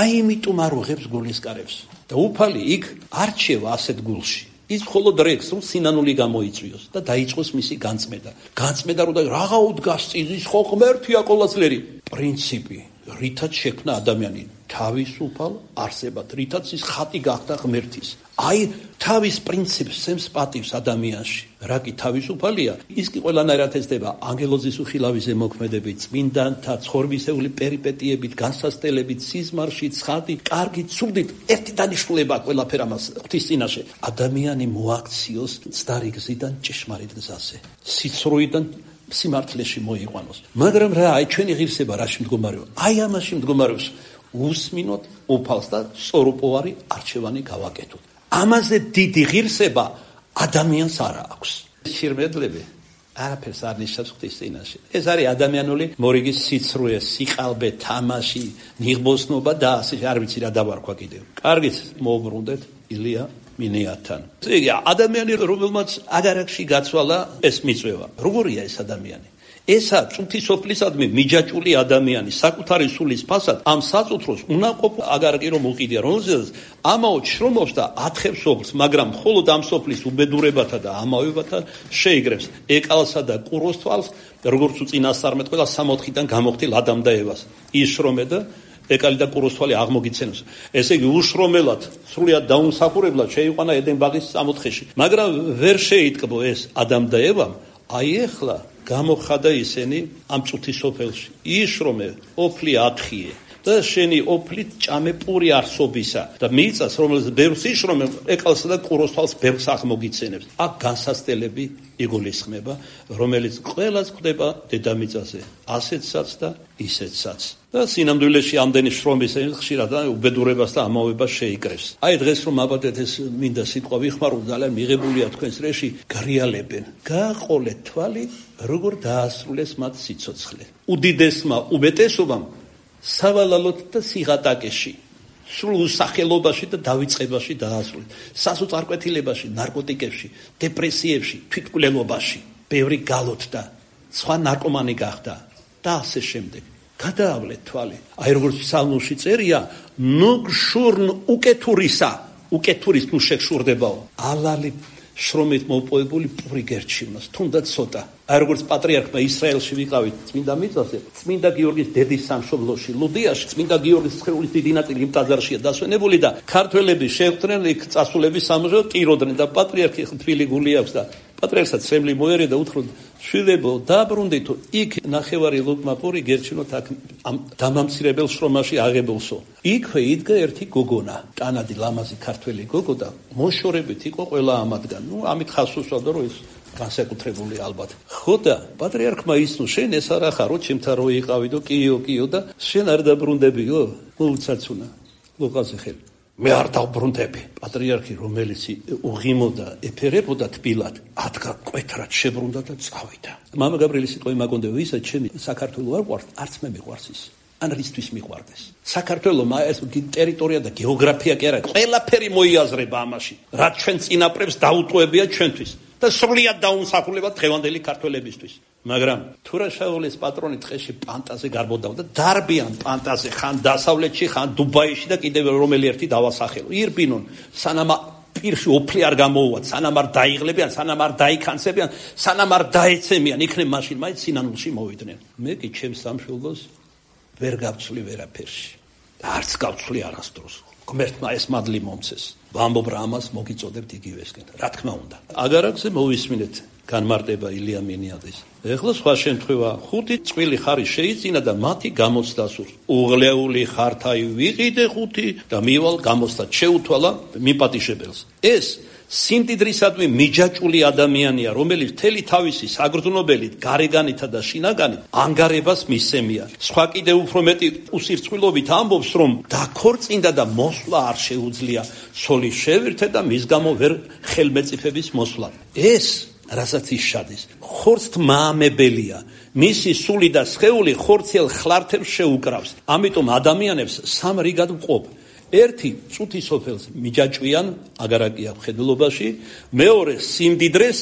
აი იმიტომ არ უღებს გულის კარებს. და უფალი იქ არჩევა ასეთ გულში. ის მხოლოდ რეკს, რომ სინანული გამოიწვიოს და დაიწყოს მისი განწმენდა. განწმენდა რომ რაღა უდგას წინ, ის ხო ღმერთია ყოვლადწლერი. პრინციპი, რითაც შექმნა ადამიანი თავისუფალ არსებად, რითაც ის ხატი გახდა ღმერთის. აი თავის პრინციპს სემს პატივს ადამიანში. რა კი თავისუფალია, ის კი ყველანაირად ეცდება ანგელოზის უხილავიზე მოქმედებით, წმინდანთა ცხოვრებისეული პერიპეტიებით, განსასწელებით, სიზმარში, ცხადი, კარგი, ცუდით, ერთი დანიშნულება ყველაფერ ამას ღვთის წინაშე. ადამიანი მოაქციოს ცდარი გზიდან ჭეშმარიტ გზაზე. სიცრუიდან სიმართლეში მოიყვანოს. მაგრამ რა, აი ჩვენი ღირსება რაში მდგომარეობს? აი ამაში მდგომარეობს. უსმინოთ უფალს და სწორუპოვარი არჩევანი გავაკეთოთ. ამაზე დიდი ღირსება ადამიანს არ აქვს. შირმედლები არაფერს არ ნიშნავს ღვთის წინაშე. ეს არის ადამიანული მორიგის სიცრუე, სიყალბე, თამაში, ნიღბოსნობა და ასე არ ვიცი რა დავარქვა კიდევ. კარგით, მოუბრუნდეთ ილია მინეათან. იგი ადამიანი რომელმაც აგარაკში გაცვალა ეს მიწვევა. როგორია ეს ადამიანი? ესა წუთისოფლისადმი მიჯაჭული ადამიანი საკუთარი სულის ფასად ამ საწუთროს უნაყოფ აგარაკი რომ უყიდია, რომელზეც ამაო შრომობს და ათხებს სოფლს, მაგრამ მხოლოდ ამ სოფლის უბედურებათა და ამავებათა შეიგრებს ეკალსა და ყუროს თვალს, როგორც უწინასწარმეტ ყველა სამოთხიდან გამოხდილ ადამ და ევას. იშრომე და ეკალი და ყუროს თვალი აღმოგიცენოს. ესე იგი უშრომელად, სრულიად დაუმსახურებლად შეიყვანა ედენ ბაღის სამოთხეში. მაგრამ ვერ შეიტკბო ეს ადამ და ევამ, აი ეხლა გამოხადა ისინი ამ წუთის სოფელში. იშრომე, ოფლი ათხიე და შენი ოფლით ჭამე პური არსობისა და მიწას, რომელიც ბევრს იშრომე, ეკალსა და ყუროს თვალს ბევრს აღმოგიცენებს. აქ განსასწელები იგულისხმება, რომელიც ყველას ხვდება დედამიწაზე, ასეთსაც და ისეთსაც. და სინამდვილეში ამდენი შრომის ხშირად უბედურებას და ამავებას შეიკრებს. აი დღეს რომ აბადეთ ეს მინდა სიტყვა ვიხმარო, ძალიან მიღებულია თქვენს რეში, გარიალებენ. გააყოლეთ თვალი, როგორ დაასრულეს მათ სიცოცხლე. უდიდესმა უბედესობამ სავალალოდ და სიღატაკეში, სრულ უსახელობაში და დავიწყებაში დაასრულეს. სასოწარკვეთილებაში, ნარკოტიკებში, დეპრესიებში, თვითმკვლელობაში, ბევრი გალოთდა, სხვა ნარკომანი გახდა და ასე შემდეგ. გადაავლეთ თვალი. აი როგორც ფსალმში წერია, ნუ გშურნ უკეთურისა, უკეთურის ნუ შეგშურდებაო. ალალი შრომით მოპოვებული პური გერჩივნოს, თუნდაც ცოტა. აი როგორც პატრიარქმა ისრაელში ვიყავით წმინდა მიწაზე, წმინდა გიორგის დედის სამშობლოში, ლუდიაში, წმინდა გიორგის სხეულის დიდი ნაწილი იმ ტაძარშია დასვენებული და ქართველები შეხვდნენ იქ წასულების სამშობლო ტიროდნენ და პატრიარქი თბილი გული აქვს და პატრიარქსაც ცემლი მოერე და უთხრა შვილებო დაბრუნდითო იქ ნახევარი ლუკმა პური გერჩინოთ აქ ამ დამამცირებელ შრომაში აღებულსო. იქვე იდგა ერთი გოგონა, ტანადი ლამაზი ქართველი გოგო და მოშორებით იყო ყველა ამათგან. ნუ ამით ხას უსვამდა რომ ის განსაკუთრებული ალბათ. ხო და პატრიარქმა ისნო შენ ეს არა ხარო, ჩემთან რო იყავიდო, კიო, კიო და შენ არ დაბრუნდებიო? მოუცაცუნა. ლუყაზე ხელი. მე არ დავბრუნდები. პატრიარქი რომელიც უღიმოდა, ეფერებოდა თბილად, ადგა კვეთრად შებრუნდა და წავიდა. მამა გაბრიელის სიტყვები მაგონდა, ვისაც ჩემი საქართველო არ ყვარს, არც მე მიყვარს ის. თან რისთვის მიყვარდეს. საქართველოს ეს ტერიტორია და გეოგრაფია კი არა, ყველაფერი მოიაზრება ამაში. რაც ჩვენ წინაპრებს დაუტოვებია ჩვენთვის და სრულიად დაუმსახურებად დღევანდელი ქართველებისთვის. მაგრამ თურაშაულის პატრონი ტყეში პანტაზე გარბოდავდა, დარბიან პანტაზე, ხან დასავლეთში, ხან დუბაიში და კიდევ რომელი ერთი დავასახელო. ირბინონ, სანამ პირში ოფლი არ გამოუვათ, სანამ არ დაიღლებიან, სანამ არ დაიქანცებიან, სანამ არ დაეცემიან, იქნებ მაშინ მაინც სინანულში მოვიდნენ. მე კი ჩემს სამშვილდოს ვერ გავცვლი ვერაფერში. და არც გავცვლი არასდროს. ღმერთმა ეს მადლი მომცეს. ვამბობ რა ამას მოგიწოდებთ იგივესკენ. რა თქმა უნდა. აგარაკზე მოვისმინეთ განმარტება ილია მინიაძის. ეხლა სხვა შემთხვევა, ხუთი წყვილი ხარი შეიძინა და მათი გამოცდა სურს. უღლეული ხართაი ვიყიდე ხუთი და მივალ გამოცდად შეუთვალა მიპატიშებელს. ეს სიმდიდრისადმი მიჯაჭული ადამიანია, რომელიც მთელი თავისი საგრძნობელით, გარეგანითა და შინაგანით ანგარებას მისცემია. სხვა კიდე უფრო მეტი უსირწყვილობით ამბობს, რომ დაქორწინდა და მოსვლა არ შეუძლია, სოლის შევირთე და მის გამო ვერ ხელმეწიფების მოსვლა. ეს რასაც ის შადის, ხორცთ მაამებელია, მისი სული და სხეული ხორციელ ხლართებს შეუკრავს. ამიტომ ადამიანებს სამ რიგად ვყოფ. ერთი წუთი სოფელს მიჯაჭვიან, აგარაკია მხედველობაში, მეორე სიმდიდრეს,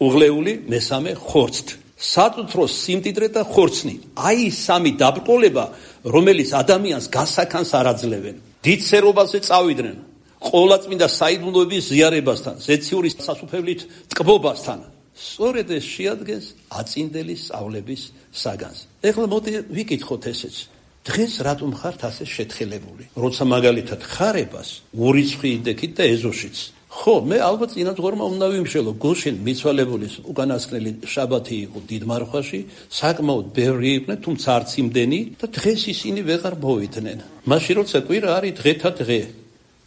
უღლეული, მესამე ხორცთ. საწუთროს სიმდიდრე და ხორცნი. აი სამი დაბრკოლება, რომელიც ადამიანს გასაქანს არ აძლევენ. დიდ სერობაზე წავიდნენ. ყოვლადწმინდა საიდუმლოების ზიარებასთან, ზეციური სასუფევლით ტკბობასთან. სწორედ ეს შეადგენს აწინდელი სწავლების საგანს. ეხლა მოდი ვიკითხოთ ესეც. დღეს რატომ ხართ ასე შეთხელებული? როცა მაგალითად ხარებას ურიცხვი იდექით და ეზოშიც. ხო, მე ალბათ წინამძღვრმა უნდა ვიმშელო, გუშინ მიცვალებულის უკანასკნელი შაბათი იყო დიდმარხვაში, საკმაოდ ბევრი იყვნენ, თუმცა არც იმდენი და დღეს ისინი ვეღარ მოვიდნენ. მაშინ როცა კვირა არის დღეთა დღე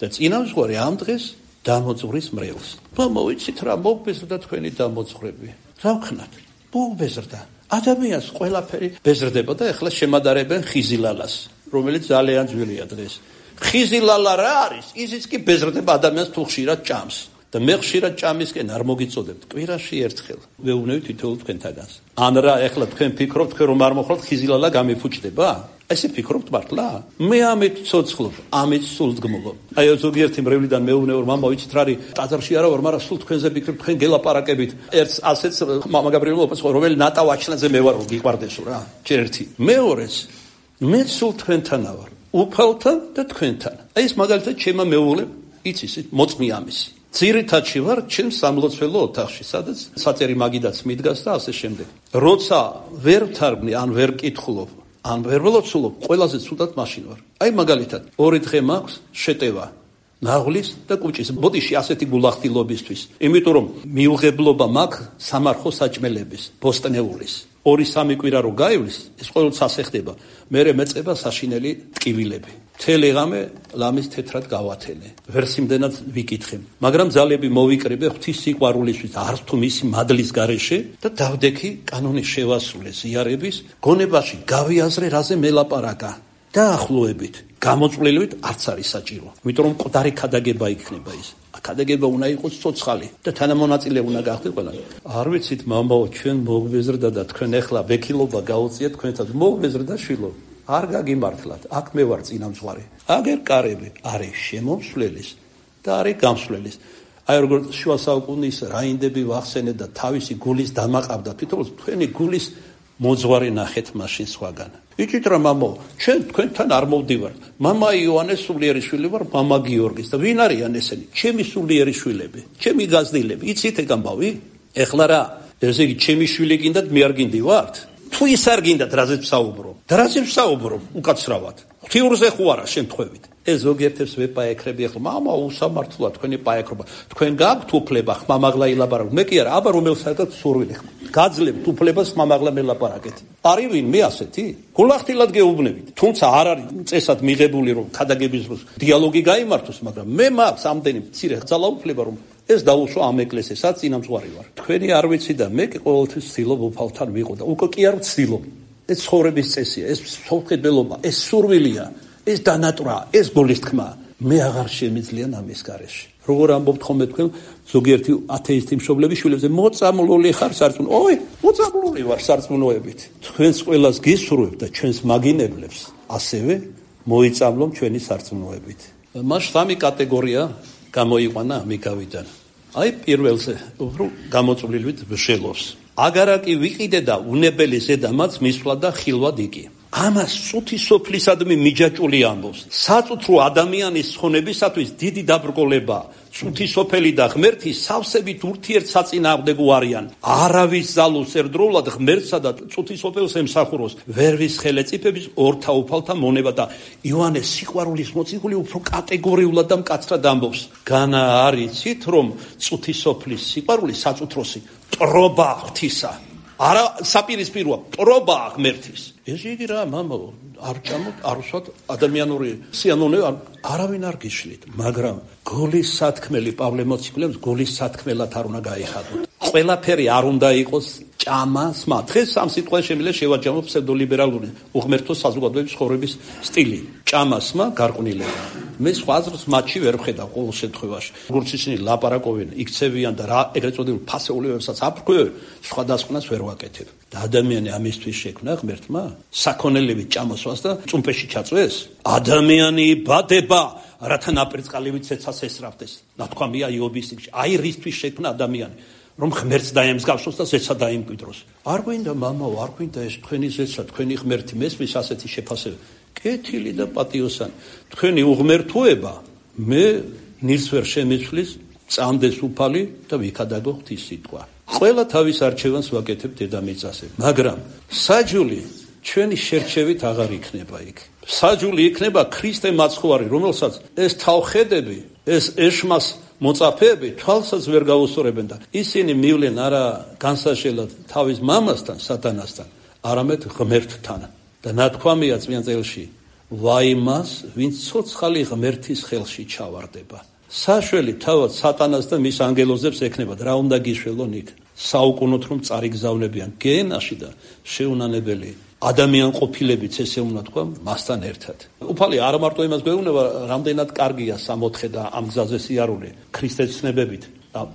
და წინამძღვარი ამ დღეს დამოძღვრის მრევლს. მოვიცით რა მოგბეზრდა თქვენი დამოძღვრები. რა ვქნათ? მოგბეზრდა. ადამიანს ყველაფერი ბეზრდება და ეხლა შემადარებენ ხიზილალას, რომელიც ძალიან ძვირია დღეს. ხიზილალა რა არის? ისიც კი ბეზრდება ადამიანს თუ ხშირად ჭამს. და მე ხშირად ჭამისკენ არ მოგიწოდებთ, კვირაში ერთხელ. ვეუბნები თითოეულ თქვენთაგანს. ან რა ეხლა თქვენ ფიქრობთ, თქვენ რომ არ მოხვალთ ხიზილალა გამიფუჭდება? ესე ფიქრობთ მართლა? მე ამით ცოცხლობ, ამით სულდგმულობ. აი ზოგიერთი მრევლიდან მეუბნება რომ მამა ვიცით რა არის, ტაძარში არა ვარ, მაგრამ სულ თქვენზე ვფიქრობ, თქვენ გელაპარაკებით. ერთს ასეც მამა გაბრიელობას, რომელი ნატა ვაჩლანზე მე ვარ, გიყვარდესო რა. ჯერ ერთი. მეორეც, მე სულ თქვენთანა ვარ, უფალთან და თქვენთან. აი ეს მაგალითად ჩემმა მეუღლემ იცის, მოწმი ამისი. ძირითადში ვარ ჩემ სამლოცველო ოთახში, სადაც საწერი მაგიდაც მიდგას და ასე შემდეგ. როცა ვერ ვთარგმნი, ან ვერ ვკითხულობ, ან ვერ ველოცულობ, ყველაზე ცუდად მაშინ ვარ. აი მაგალითად, ორი დღე მაქვს შეტევა ნაღლის და კუჭის. ბოდიში ასეთი გულახდილობისთვის. იმიტომ რომ მიუღებლობა მაქვს სამარხო საჭმელების, ბოსტნეულის. ორი სამი კვირა რო გაივლის, ეს ყოველთვის ასე ხდება. მერე მეწება საშინელი ტკივილები. მთელი ღამე ლამის თეთრად გავათენე. ვერ სიმდენად ვიკითხე. მაგრამ ძალები მოვიკრიბე ღვთის სიყვარულისთვის, არც თუ მისი მადლის გარეშე და დავდექი კანონის შევასრულე ზიარების, გონებაში გავიაზრე რაზე მელაპარაკა. დაახლოებით, გამოწვლილებით არც არის საჭირო. იმიტომ რომ მკვდარი ქადაგება იქნება ის. ქადაგება უნდა იყოს ცოცხალი და თანამონაწილე უნდა გახდეთ ყველა. არ ვიცით მამაო, ჩვენ მოგბეზრდა და თქვენ ეხლა ვექილობა გაუწიეთ თქვენთან. მოგბეზრდა შვილო. არ გაგიმართლათ, აქ მე ვარ წინამძღვარი. აგერ კარები არის შემომსვლელის და არის გამსვლელის. აი როგორც შუა საუკუნის რაინდები ვახსენეთ და თავისი გულის დამაყავდა, თვითონ თქვენი გულის მოძღვარი ნახეთ მაშინ სხვაგან. იცით რა მამო, ჩვენ თქვენთან არ მოვდივარ. მამა იოანეს სულიერი შვილი ვარ, მამა გიორგის და ვინ არიან ესენი? ჩემი სულიერი შვილები, ჩემი გაზრდილები. იცით ეგ ამბავი? ეხლა რა, ესე იგი ჩემი შვილი გინდათ, მე არ გინდივართ? თუ ის არ გინდათ, რაზეც ვსაუბრობ? და რაზეც ვსაუბრობ? უკაცრავად. ღვთიურზე ხო არა შემთხვევით. ეს ზოგიერთებს ვეპაექრები ახლა, მამა უსამართლოა თქვენი პაექრობა. თქვენ გაქვთ უფლება ხმამაღლა ილაპარაკოთ. მე კი არა, აბა რომელსაც სურვილი ხმა. გაძლევთ უფლებას ხმამაღლა მელაპარაკეთ. არის ვინ მე ასეთი? გულახდილად გეუბნებით. თუმცა არ არის წესად მიღებული რომ ქადაგების დროს დიალოგი გაიმართოს, მაგრამ მე მაქვს ამდენი მცირე ძალაუფლება რომ ეს დაუსვა ამ ეკლესიასაც წინამძღვარი ვარ. თქვენი არ ვიცი და მე კი ყოველთვის ვცდილობ უფალთან ვიყო და უკვე კი არ ვცდილობ. ეს ცხოვრების წესია, ეს სულხედველობა, ეს სურვილია, ეს დანატრა, ეს გულის თქმა. მე აღარ შემიძლია ამის გარეშე. როგორ ამბობთ ხოლმე თქვენ ზოგიერთი ათეისტი მშობლები შვილებზე მოწამლული ხარ სარწმუნო. ой, მოწამლული ვარ სარწმუნოებით. თქვენს ყველას გისურვებ და ჩვენს მაგინებლებს ასევე მოიწამლო ჩვენი სარწმუნოებით. მას სამი კატეგორია გამოიყვანა ამიგავიდან. აი პირველზე უფრო გამოწვლილივით ვშელობს. აგარაკი ვიყიდე და უნებელი ზედამაც მისვლა და ხილვად იგი. ამას წუთი სოფლისადმი მიჯაჭული ამბობს. საწუთრო ადამიანის ხონებისათვის დიდი დაბრკოლება. წუთი სოფელი და ღმერთი სავსებით ურთიერთსაწინააღმდეგო არიან. არავის ზალოს ერთდროულად ღმერთსა და წუთი სოფელს ემსახუროს. ვერვის ხელეწიფების ორთა უფალთა მონება და იოანეს სიყვარულის მოციქული უფრო კატეგორიულად და მკაცრად ამბობს. განა არიცით რომ წუთი სოფლის სიყვარული საწუთროსი ტრობა ღვთისა. არა საპირისპიროა ტრობა ღმერთის. ეს იგი რა მამაო არ ჩამოთ არ უსვათ ადამიანური სიამოვნე არავინ არ გიშლით, მაგრამ გოლის სათქმელი პავლე მოციქულებს გოლის სათქმელად არ უნდა გაიხადოთ. ყველაფერი არ უნდა იყოს ჭამასმა. დღეს ამ სიტყვას შემიძლია შევაჯამო ფსევდოლიბერალური უღმერთო საზოგადოების ცხოვრების სტილი. ჭამასმა გარყვნილება. მე სხვა აზრს მათში ვერ ვხედავ ყოველ შემთხვევაში. როგორც ისინი ლაპარაკობენ, იქცევიან და რა ეგრეთ წოდებულ ფასეულებებსაც აფრქვევენ, სხვადასხვას ვერ ვაკეთებ. და ადამიანი ამისთვის შექმნა ღმერთმა საქონელებით ჭამოსვას და წუმპეში ჩაწვეს. ადამიანი იბადება, რათა ნაპერწკალივით ცეცას ესწრაფდეს. ნათქვამია იობის წიგნში. აი რისთვის შექმნა ადამიანი, რომ ღმერთს დაემსგავსოს და ზეცა დაიმკვიდროს. არ გვინდა მამაო, არ გვინდა ეს თქვენი ზეცა, თქვენი ღმერთი მესმის ასეთი შეფასება. კეთილი და პატიოსანი. თქვენი უღმერთოება მე ნირს ვერ შემეცვლის, წამდეს უფალი და ვიქადაგო ღვთის სიტყვა. ყველა თავის არჩევანს ვაკეთებ დედამიწაზე, მაგრამ საჯული ჩვენი შერჩევით აღარ იქნება იქ. საჯული იქნება ქრისტე მაცხოვარი, რომელსაც ეს თავხედები, ეს ეშმას მოწაფეები თვალსაც ვერ გაუსწორებენ და ისინი მივლენ არა განსაშელად თავის მამასთან, სატანასთან, არამედ ღმერთთან. და ნათქვამია წმინდა წელში, ვაიმას, ვინც ცოცხალი ღმერთის ხელში ჩავარდება. საშველი თავად სატანას და მის ანგელოზებს ექნებათ, რა უნდა გიშველონ იქ. საუკუნოდ რომ წარიგზავლებიან გენაში და შეუნანებელი ადამიან ყოფილებიც ესე უნდა თქვა მასთან ერთად. უფალი არა მარტო იმას გვეუბნება, რამდენად კარგია სამოთხე და ამ გზაზე სიარული ქრისტეს ცნებებით.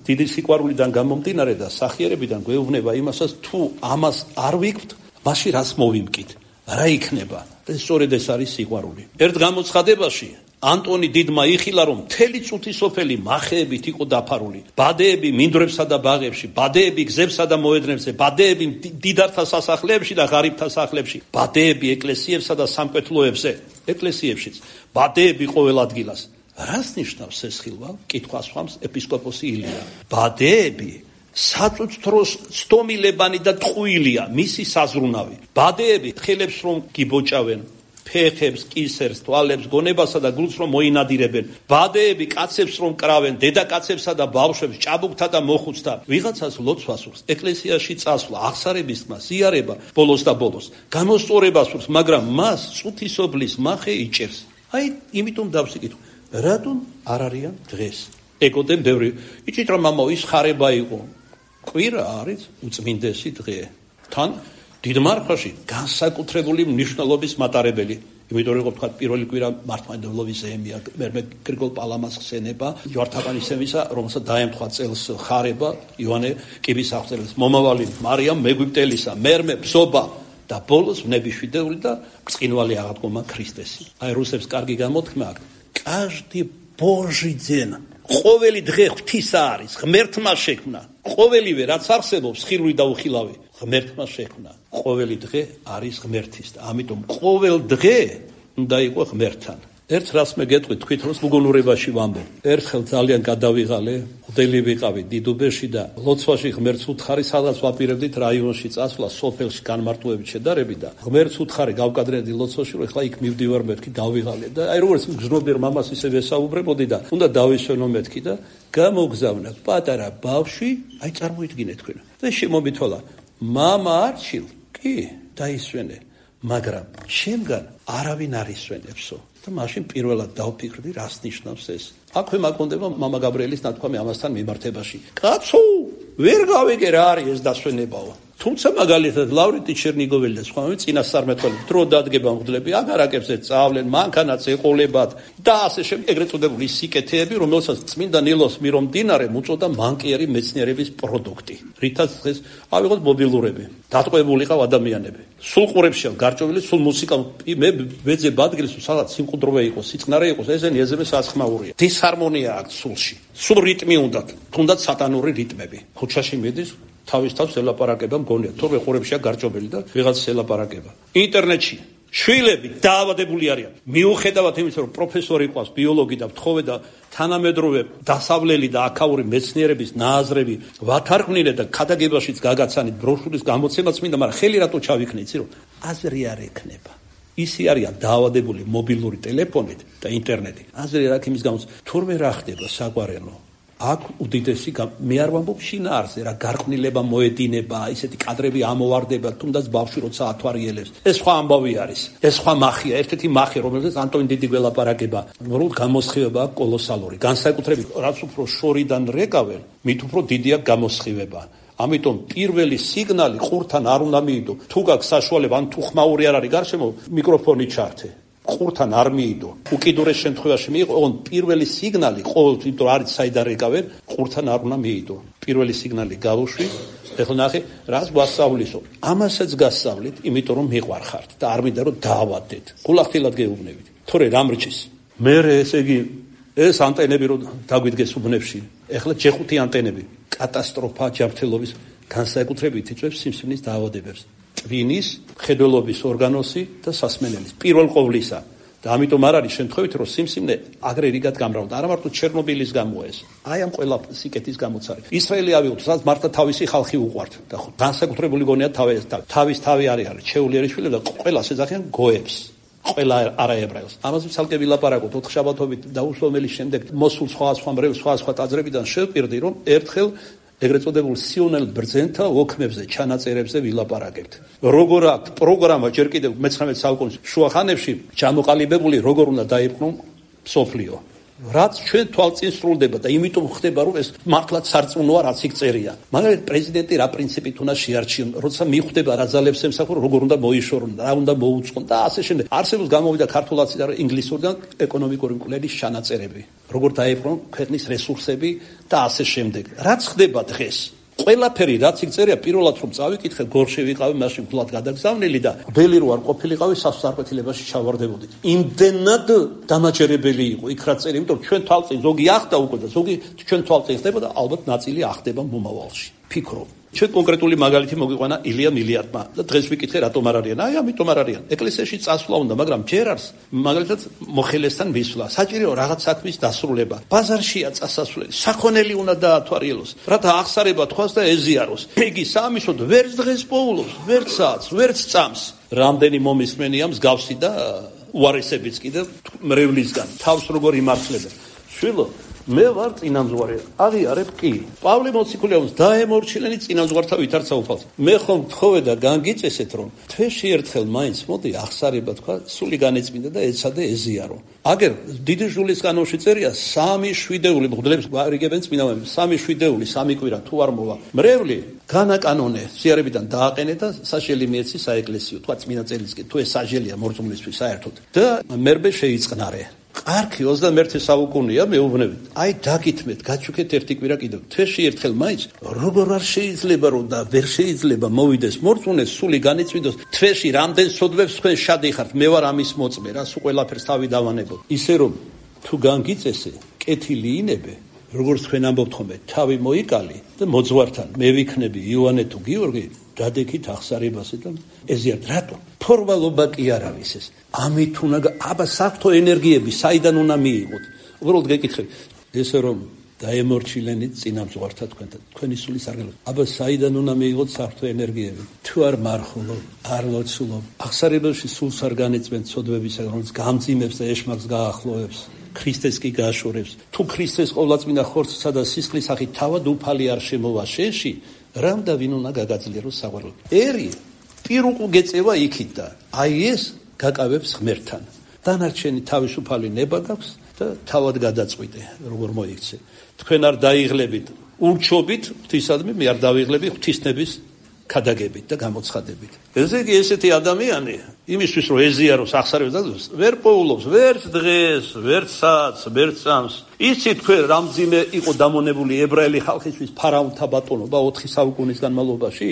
დიდი სიყვარულიდან გამომდინარე და სახიერებიდან გვეუბნება იმასაც, თუ ამას არ ვიქვთ, მაშინ რას მოვიმკით? რა იქნება? ეს სწორედ ეს არის სიყვარული. ერთ გამოცხადებაში ანტონი დიდმა იხილა, რომ მთელი წუთი სოფელი მახეებით იყო დაფარული. ბადეები მინდვრებსა და ბაღებში, ბადეები გზებსა და მოედნებზე, ბადეები დიდართა სასახლეებში და ღარიბთა სახლებში, ბადეები ეკლესიებსა და სამკვეთლოებზე, ეკლესიებშიც, ბადეები ყოველ ადგილას. რას ნიშნავს ეს ხილვა? კითხვას ხამს ეპისკოპოსი ილია. ბადეები საწუთროს სტომილებანი და ტყუილია, მისი საზრუნავი. ბადეები ხელებს რომ გიბოჭავენ, ფეხებს, კისერს, თვალებს, გონებასა და გულს რომ მოინადირებენ. ბადეები კაცებს რომ კრავენ, დედაკაცებსა და ბავშვებს, ჭაბუკთა და მოხუცთა. ვიღაცას ლოცვას სურს, ეკლესიაში წასვლა, აღსარების ხმა, ზიარება, ბოლოს და ბოლოს. გამოსწორება სურს, მაგრამ მას წუთისობლის მახე იჭერს. აი, იმიტომ დავსიკითხო, რატომ არ არიან დღეს? ეკოდენ ბევრი, იცით რომ მამაო, ის ხარება იყო. კვირა არის უწმინდესი დღე. თან დიდ მარხაში განსაკუთრებული მნიშვნელობის მატარებელი. იმიტომ რომ თქვა პირველი კვირა მართლმადიდებლობის ზეიმია, მერმე გრიგოლ პალამას ხსენება, ჯვართაბანისემისა, რომელსაც დაემთხვა წელს ხარება, იოანე კიბის აღწერილს, მომავალი მარიამ მეგვიპტელისა, მერმე ბზობა და ბოლოს ნებიშვიდეული და ბრწყინვალე აღადგომა ქრისტესი. აი რუსებს კარგი გამოთქმა აქვს. Каждый Божий день. ყოველი დღე ღვთისა არის, ღმერთმა შექმნა. ყოველივე რაც არსებობს, ხილვი და უხილავი, ღმერთმა შექმნა. ყოველი დღე არის ღმერთის და ამიტომ ყოველ დღე უნდა იყო ღმერთთან. ერთ რას მე გეტყვი, თქვით რომ მოგონურებაში ვამბობ. ერთხელ ძალიან გადავიღალე, ღვთელი ვიყავი დიდუბეში და ლოცვაში ღმერთს უთხარი, სადაც ვაპირებდით რაიონში წასვლა, სოფელში განმარტოებით შედარები და ღმერთს უთხარი გავკადრედი ლოცვაში, რომ ეხლა იქ მივდივარ მეთქი, გავიღალე და აი როგორც გზნობიერ მამას ისე ვესაუბრებოდი და უნდა დავისვენო მეთქი და გამოგზავნა პატარა ბავშვი, აი წარმოიდგინეთ თქვენ. და შემომითვალა, მამა არჩილ, კი, დაისვენე, მაგრამ შემგან არავინ არ ისვენებსო. და მაშინ პირველად დავფიქრდი, რას ნიშნავს ეს. აქვე მაკონდება მამა გაბრიელის ნათქვამი ამასთან მიმართებაში. კაცო, ვერ გავიგე რა არის ეს დასვენებაო. თუმცა მაგალითად ლავრენტი ჩერნიგოველი და სხვაები წინასწარმეტყველი დრო დადგება მღვდლები აგარაკებზე წავლენ, მანქანაც ეყოლებათ და ასე შემდეგ ეგრეთ წოდებული სიკეთეები, რომელსაც წმინდა ნილოს მირომდინარე უწოდა მანკიერი მეცნიერების პროდუქტი. რითაც დღეს ავიღოთ მობილურები, დატყვეულიყავ ადამიანები. სულ ყურებშია გარჭოვილი, სულ მუსიკა მე ვეძებ ადგილს, სადაც სიმყუდროვე იყოს, სიწყნარე იყოს, ესენი ეძებენ საცხმაურია. დისჰარმონია აქვს სულში. სულ რიტმი უნდა, თუნდაც სატანური რიტმები. ქუჩაში მიდის თავის თავს ელაპარაკება მგონია, თორე ყურებშია გარჭობილი და ვიღაც ელაპარაკება. ინტერნეტში შვილები დაავადებული არიან. მიუხედავად იმისა, რომ პროფესორი ყავს, ბიოლოგი და მთხოვე და თანამედროვე დასავლელი და აქაური მეცნიერების ნააზრევი ვათარგმნილე და ქადაგებაშიც გაგაცანით ბროშურის გამოცემაც მინდა, მაგრამ ხელი რატო ჩავიქნე, იცი რომ აზრი არ ექნება. ისი არიან დაავადებული მობილური ტელეფონით და ინტერნეტით. აზრი რა ქიმის გამოს თურმე რა ხდება საგვარელო. აქ უდიდესი მე არ ვამბობ შინაარსზე რა გარყვნილება მოედინება, ისეთი კადრები ამოვარდება, თუნდაც ბავშვი როცა ათვარიელებს. ეს სხვა ამბავი არის. ეს სხვა მახია, ერთ-ერთი მახი, რომელზეც ანტონი დიდი გველაპარაკება. რომ გამოსხივება კოლოსალური. განსაკუთრებით რაც უფრო შორიდან რეკავენ, მით უფრო დიდია გამოსხივება. ამიტომ პირველი სიგნალი ყურთან არ უნდა მიიდო. თუ გაქვს საშუალება, ან თუ ხმაური არ არის გარშემო, მიკროფონი ჩართე. ყურთან არ მიიდო. უკიდურეს შემთხვევაში მიიღო, ოღონდ პირველი სიგნალი ყოველთვის, იმიტომ რომ არის საიდან რეკავენ, ყურთან არ უნდა მიიდო. პირველი სიგნალი გავუშვი, ეხლა ნახე, რას გვასწავლისო. ამასაც გასწავლით, იმიტომ რომ მიყვარხართ და არ მინდა რომ დაავადდეთ. გულახდილად გეუბნებით. თორე რამ რჩის. მე ესე იგი ეს ანტენები რომ დაგვიდგეს უბნებში. ეხლა ჯეხუთი ანტენები. კატასტროფა ჯანმრთელობის განსაკუთრებით იწვევს სიმსივნის დაავადებებს. ტვინის, ხედველობის ორგანოსი და სასმენელის. პირველ ყოვლისა. და ამიტომ არ არის შემთხვევით, რომ სიმსივნე აგრე რიგად გამრავლდა. არა მარტო ჩერნობილის გამო ეს. აი ამ ყველა სიკეთის გამოც არის. ისრაელი ავიღოთ, სადაც მართლა თავისი ხალხი უყვართ და განსაკუთრებული გონია თავის თავის თავი არის არის ჩეულიერიშვილები და ყველა შეძახიან გოებს. ყველა არაებრაელს. ამაზე ცალკე ვილაპარაკოთ ოთხშაბათობით და უსლომელის შემდეგ მოსულ სხვა სხვა მრევლ სხვა სხვა ტაძრებიდან შევპირდი, რომ ერთხელ ეგრეთ წოდებულ სიონელ ბრძენთა ოქმებზე, ჩანაწერებზე ვილაპარაკებთ. როგორ აქვს პროგრამა ჯერ კიდევ მეცხრამეტ საუკუნის შუახანებში ჩამოყალიბებული, როგორ უნდა დაიბრუნო მსოფლიო. რაც ჩვენ თვალწინ სრულდება და იმიტომ ხდება, რომ ეს მართლაც სარწმუნოა, რაც იქ წერია. მაგალითად, პრეზიდენტი რა პრინციპით უნდა შეარჩიონ, როცა მიხვდება რა ძალებს ემსახურა, როგორ უნდა მოიშორონ, რა უნდა მოუწყონ და ასე შემდეგ. არსებობს გამოვიდა ქართულაცი და ინგლისურიდან ეკონომიკური მკვლელის ჩანაწერები. როგორ დაიბრუნონ ქვეყნის რესურსები და ასე შემდეგ. რაც ხდება დღეს? ყველაფერი რაც იქ წერია, პირველად რომ წავიკითხე, გორში ვიყავი, მაშინ ფულად გადაგზავნილი და ბელი რო არ ყოფილიყავი, სასწრაფეთილებაში ჩავარდებოდი. იმდენად დამაჯერებელი იყო იქ რა წერია, იმიტომ ჩვენ თვალწინ ზოგი ახდა უკვე და ზოგი ჩვენ თვალწინ ხდება და ალბათ ნაწილი ახდება მომავალში. ფიქრობ. ჩვენ კონკრეტული მაგალითი მოგვიყვანა ილია მილიარდმა და დღეს ვიკითხე რატომ არ არიან. აი ამიტომ არ არიან. ეკლესიაში წასვლა უნდა, მაგრამ ჯერ არის მაგალითად მოხელესთან მისვლა. საჭიროა რაღაც საქმის დასრულება. ბაზარშია წასასვლელი. საქონელი უნდა დაათვალიეროს. რათა აღსარება თქვას და ეზიაროს. იგი საამისოდ ვერც დღეს პოულობს, ვერც საათს, ვერც წამს. რამდენი მომისმენია მსგავსი და უარესებიც კიდევ მრევლისგან. თავს როგორ იმართლებენ. შვილო მე ვარ წინამძღვარი. აღიარებ კი. პავლე მოციქულიაუს დაემორჩილენი წინამძღვართა ვითარცა უფალს. მე ხომ თხოვე და განგიწესეთ რომ თვეში ერთხელ მაინც მოდი აღსარება თქვა, სული განეწმინდა და ეცადე ეზიარო. აგერ დიდი ჟულის კანონში წერია სამი შვიდეული მღვდლებს გვარიგებენ წმინდანები. სამი შვიდეული, სამი კვირა თუ არ მოვა. მრევლი განაკანონე სიარებიდან დააყენე და საშელი მიეცი საეკლესიო. თქვა წმინდა წერილისკენ თუ ეს საჟელია მორწმუნისთვის საერთოდ. და მერბე შეიწყნარე. არქი ოცდამეერთე საუკუნეა მეუბნებით. აი დაგითმეთ, გაჩუქეთ ერთი კვირა კიდევ. თვეში ერთხელ მაინც როგორ არ შეიძლება რომ და ვერ შეიძლება მოვიდეს მორწმუნეს, სული განიწმინდოს. თვეში რამდენ სოდვებს თქვენ შადიხართ, მე ვარ ამის მოწმე, რა სულ ყველაფერს თავი დავანებოთ. ისე რომ თუ განგიწესე, კეთილი ინებე, როგორც თქვენ ამბობთ ხოლმე, თავი მოიკალი და მოძღვართან მე ვიქნები იოანე თუ გიორგი, დადექით აღსარებასე და ეზიართ. რატო? ფორმალობა კი არ არის ეს. ამით უნდა აბა საფრთხო ენერგიები საიდან უნდა მიიღოთ? უბრალოდ გეკითხები. ესე რომ დაემორჩილენით წინამძღვართა თქვენთან, თქვენი სულის არგელოთ. აბა საიდან უნდა მიიღოთ საფრთხო ენერგიები? თუ არ მარხულობ, არ ლოცულობ, აღსარებაში სულს არ განეწმენთ ცოდვებისა, რომელიც გამძიმებს და ეშმაკს გაახლოვებს. ქრისტეს კი გააშორებს. თუ ქრისტეს ყოვლადწმინდა ხორცსა და სისხლის სახით თავად უფალი არ შემოვა შენში, რამ და ვინ უნდა გაგაძლიეროს საყვარლად? ერი პირუკუ გეწევა იქით და აი ეს გაკავებს ღმერთთან. დანარჩენი თავისუფალი ნება გაქვს და თავად გადაწყვიტე, როგორ მოიქცე. თქვენ არ დაიღლებით, ურჩობით ღვთისადმი, მე არ დავიღლები ღვთისნების ქადაგებით და გამოცხადებით. ესე იგი ესეთი ადამიანი იმისთვის რომ ეზიაროს ახსარებს ვერ პოულობს ვერც დღეს, ვერც საათს, ვერც წამს. იცით თქვენ რამძიმე იყო დამონებული ებრაელი ხალხისთვის ფარაონთა ბატონობა ოთხი საუკუნის განმავლობაში?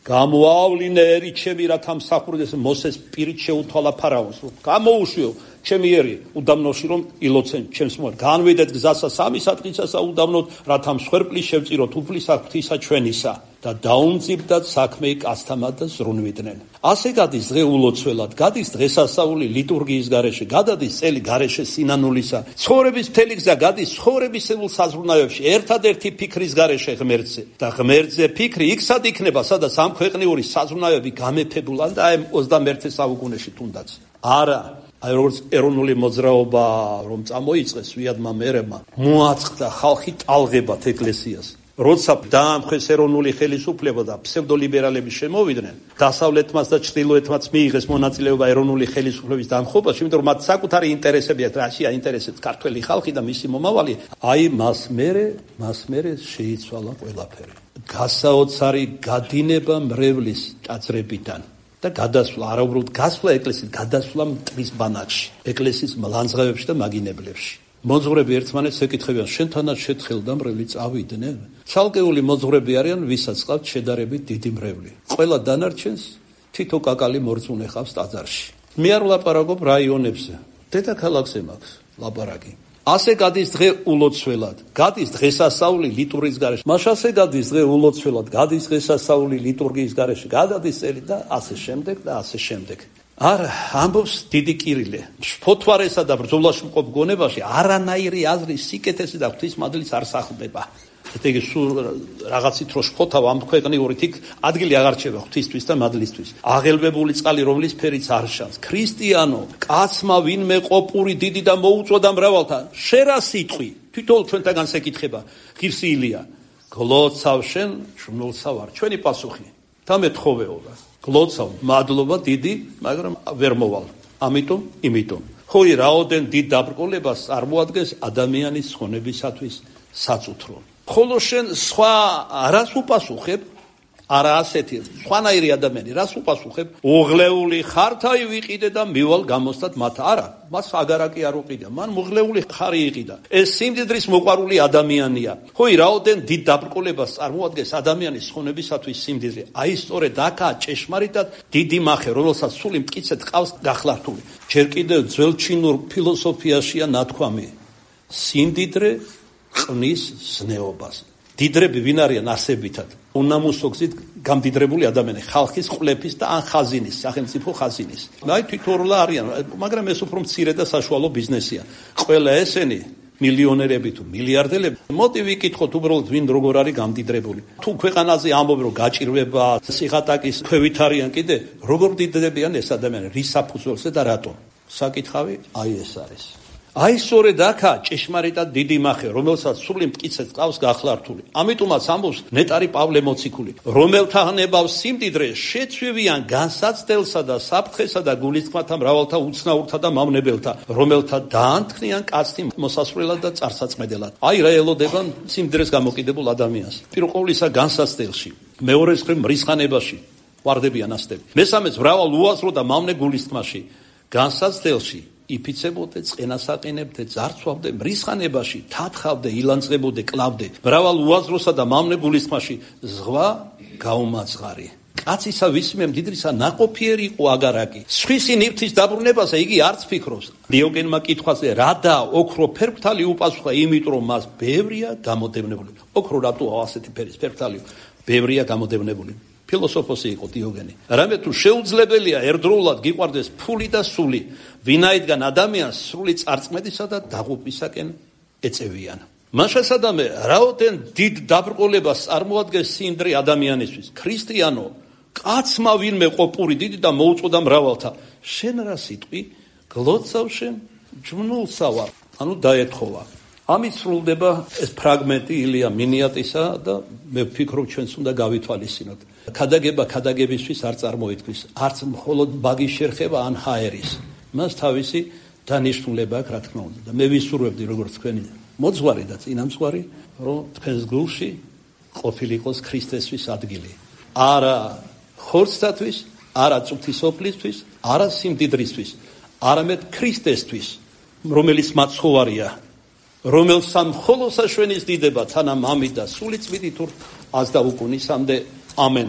გამოავლინე ერი ჩემი რათა მსახურდეს მოსეს პირით შეუთვალა ფარაონს რომ გამოუშვიო ჩემი ერი უდამნოში რომ ილოცენ ჩემს მოერ განვიდეთ გზასა სამი საწყისასა უდამნოდ რათა მსხვერპლი შევწიროთ უფლისა ღვთისა ჩვენისა და დაუმძიბდათ საქმე კაცთამად და ზრუნვიდნენ. ასე გადის დღე ულოცველად, გადის დღესასწაული ლიტურგიის გარეშე, გადადის წელი გარეშე სინანულისა. ცხოვრების მთელი გზა გადის ცხოვრებისეულ საზრუნავებში, ერთადერთი ფიქრის გარეშე ღმერთზე. და ღმერთზე ფიქრი იქსად იქნება, სადაც ამ ქვეყნიური საზრუნავები გამეფებულან და აი ოცდამეერთე საუკუნეში თუნდაც. არა, აი როგორც ეროვნული მოძრაობა რომ წამოიწყეს ვიადმა მერებმა, მოაწყდა ხალხი ტალღებად ეკლესიას. როცა დაამხეს ეროვნული ხელისუფლება და ფსევდოლიბერალები შემოვიდნენ, დასავლეთმაც და ჩრდილოეთმაც მიიღეს მონაწილეობა ეროვნული ხელისუფლების დამხობაში, იმიტომ რომ მათ საკუთარი ინტერესები აქვს, რაშია ინტერესებს ქართველი ხალხი და მისი მომავალი, აი მას მერე, მას მერე შეიცვალა ყველაფერი. გასაოცარი გადინება მრევლის ტაძრებიდან და გადასვლა, არა უბრალოდ გასვლა ეკლესიის, გადასვლა მტრის ბანაკში, ეკლესიის მლანძღავებში და მაგინებლებში. მოძღვრები ერთმანეთს ეკითხებიან, შენთანაც შეთხელდა მრევლი წავიდნენ? ცალკეული მოძღვრები არიან, ვისაც ყავთ შედარებით დიდი მრევლი. ყველა დანარჩენს თითო კაკალი მორწმუნე ყავს ტაძარში. მე არ ვლაპარაკობ რაიონებზე, დედაქალაქზე მაქვს ლაპარაკი. ასე გადის დღე ულოცველად, გადის დღესასწაული ლიტურგიის გარეშე. მაშასე გადის დღე ულოცველად, გადის დღესასწაული ლიტურგიის გარეშე, გადადის წელი და ასე შემდეგ და ასე შემდეგ. არა, ამბობს დიდი კირილე, ფოთვარესა და ბრძოლაში მყოფ გონებაში არანაირი აზრის სიკეთესი და ღვთისმადლიც არ სახლდება. ესე იგი, სულ რაღაცით რო შფოთავ ამ ქვეყნიურით იქ ადგილი აღარ რჩება ღვთისთვის და მადლისთვის. აღელვებული წყალი, რომლის ფერიც არ შანს. ქრისტიანო, კაცმა ვინმე ყოფური დიდი და მოუწოდა მრავალთან, შე რა სიტყვი? თვითონ ჩვენთაგან შეკითხება ღირსი ილია. გლოცავ შენ, ჟმნულსა ვარ. ჩვენი პასუხი და მეთხოვეობა. გლოცავ, მადლობა დიდი, მაგრამ ვერ მოვალ. ამიტომ, იმიტომ. ხოი რაოდენ დიდ დაბრკოლებას წარმოადგენს ადამიანის ხონებისათვის საწუთრო. ხოლო შენ სხვა რას უპასუხებ? არა ასეთი, სხვანაირი ადამიანი რას უპასუხებ? უღლეული ხართაი ვიყიდე და მივალ გამოსდათ მათ. არა, მას აგარაკი არ უყიდა, მან უღლეული ხარი იყიდა. ეს სიმდიდრის მოყვარული ადამიანია. ხოი რაოდენ დიდ დაბრკოლებას წარმოადგენს ადამიანის ხონებისათვის სიმდიდრე. აი სწორედ აქაა ჭეშმარიტად დიდი მახე, რომელსაც სული მტკიცედ ყავს გახლართული. ჯერ კიდევ ძველ ჩინურ ფილოსოფიაშია ნათქვამი. სიმდიდრე ყნის ზნეობას. დიდრები ვინ არიან არსებითად? უნამუსო გზით გამდიდრებული ადამიანი, ხალხის ყლეფის და ან ხაზინის, სახელმწიფო ხაზინის. აი თითოეულა არიან, მაგრამ ეს უფრო მცირე და საშუალო ბიზნესია. ყველა ესენი მილიონერები თუ მილიარდელები, მოდი ვიკითხოთ უბრალოდ ვინ როგორ არის გამდიდრებული. თუ ქვეყანაზე ამბობ რომ გაჭირვება, სიღატაკის ქვევით არიან კიდე, როგორ დიდდებიან ეს ადამიანები, რის საფუძველზე და რატომ? საკითხავი აი ეს არის. აი სწორედ აქა ჭეშმარიტად დიდი მახე, რომელსაც სული მტკიცედ ყავს გახლართული. ამიტომაც ამბობს ნეტარი პავლე მოციქული, რომელთა ნებავს სიმდიდრე შეცვივიან განსაცდელსა და საფრთხესა და გულისწყმათა მრავალთა უცნაურთა და მავნებელთა, რომელთა დაანთქნიან კაცთი მოსასვლელად და წარსაწმედელად. აი რა ელოდება სიმდიდრეს გამოკიდებულ ადამიანს. პირველ ყოვლისა განსაცდელში, მეორეს მხრივ მრისხანებაში ვარდებიან ასტები. მესამეც მრავალ უაზრო და მავნე გულისწყმაში, განსაცდელში იფიცებოდე, წენასაყინებდე, ძარცვავდე, მრისხანებაში, თათხავდე, ილანძღებოდე, კლავდე, მრავალ უაზროსა და მავნე გულისხმაში, ზღვა გაუმაძღარი. კაცისა ვისიმე მდიდრისა ნაყოფიერი იყო აგარაკი. სხვისი ნივთის დაბრუნებაზე იგი არც ფიქრობს. დიოგენმა კითხვაზე რადა ოქრო ფერფთალი უპასუხა, იმიტომ რომ მას ბევრია გამოდევნებული. ოქრო რატოა ასეთი ფერის ფერფთალი? ბევრია გამოდევნებული. ფილოსოფოსი იყო დიოგენი. რამე თუ შეუძლებელია ერთდროულად გიყვარდეს ფული და სული, ვინაიდან ადამიანს სრული წარწმედისა და დაღუპვისაკენ ეწევიან. მაშასადამე რაოდენ დიდ დაბრკოლებას წარმოადგენს სიმდიდრე ადამიანისთვის. ქრისტიანო, კაცმა ვინმე ყოფური დიდი და მოუწოდა მრავალთა, შენ რა სიტყვი? გლოცავ შენ, ჟმნულსა ვარ. ანუ დაეთხოვა. ამით სრულდება ეს ფრაგმენტი ილია მინიატისა და მე ვფიქრობ ჩვენს უნდა გავითვალისწინოთ. ქადაგება ქადაგებისთვის არ წარმოითქმის, არც მხოლოდ ბაგის შერხება ან ჰაერის. მას თავისი დანიშნულება აქვს, რა თქმა უნდა. და მე ვისურვებდი როგორც თქვენი მოძღვარი და წინამძღვარი, რომ თქვენს გულში ყოფილიყოს ქრისტესთვის ადგილი. არა ხორცთათვის, არა წუთისოფლისთვის, არა სიმდიდრისთვის, არამედ ქრისტესთვის, რომელიც მაცხოვარია, რომელსა მხოლოდ საშვენის დიდება თანა მამით და სული წმინდით აზდა უკუნისამდე. ამენ.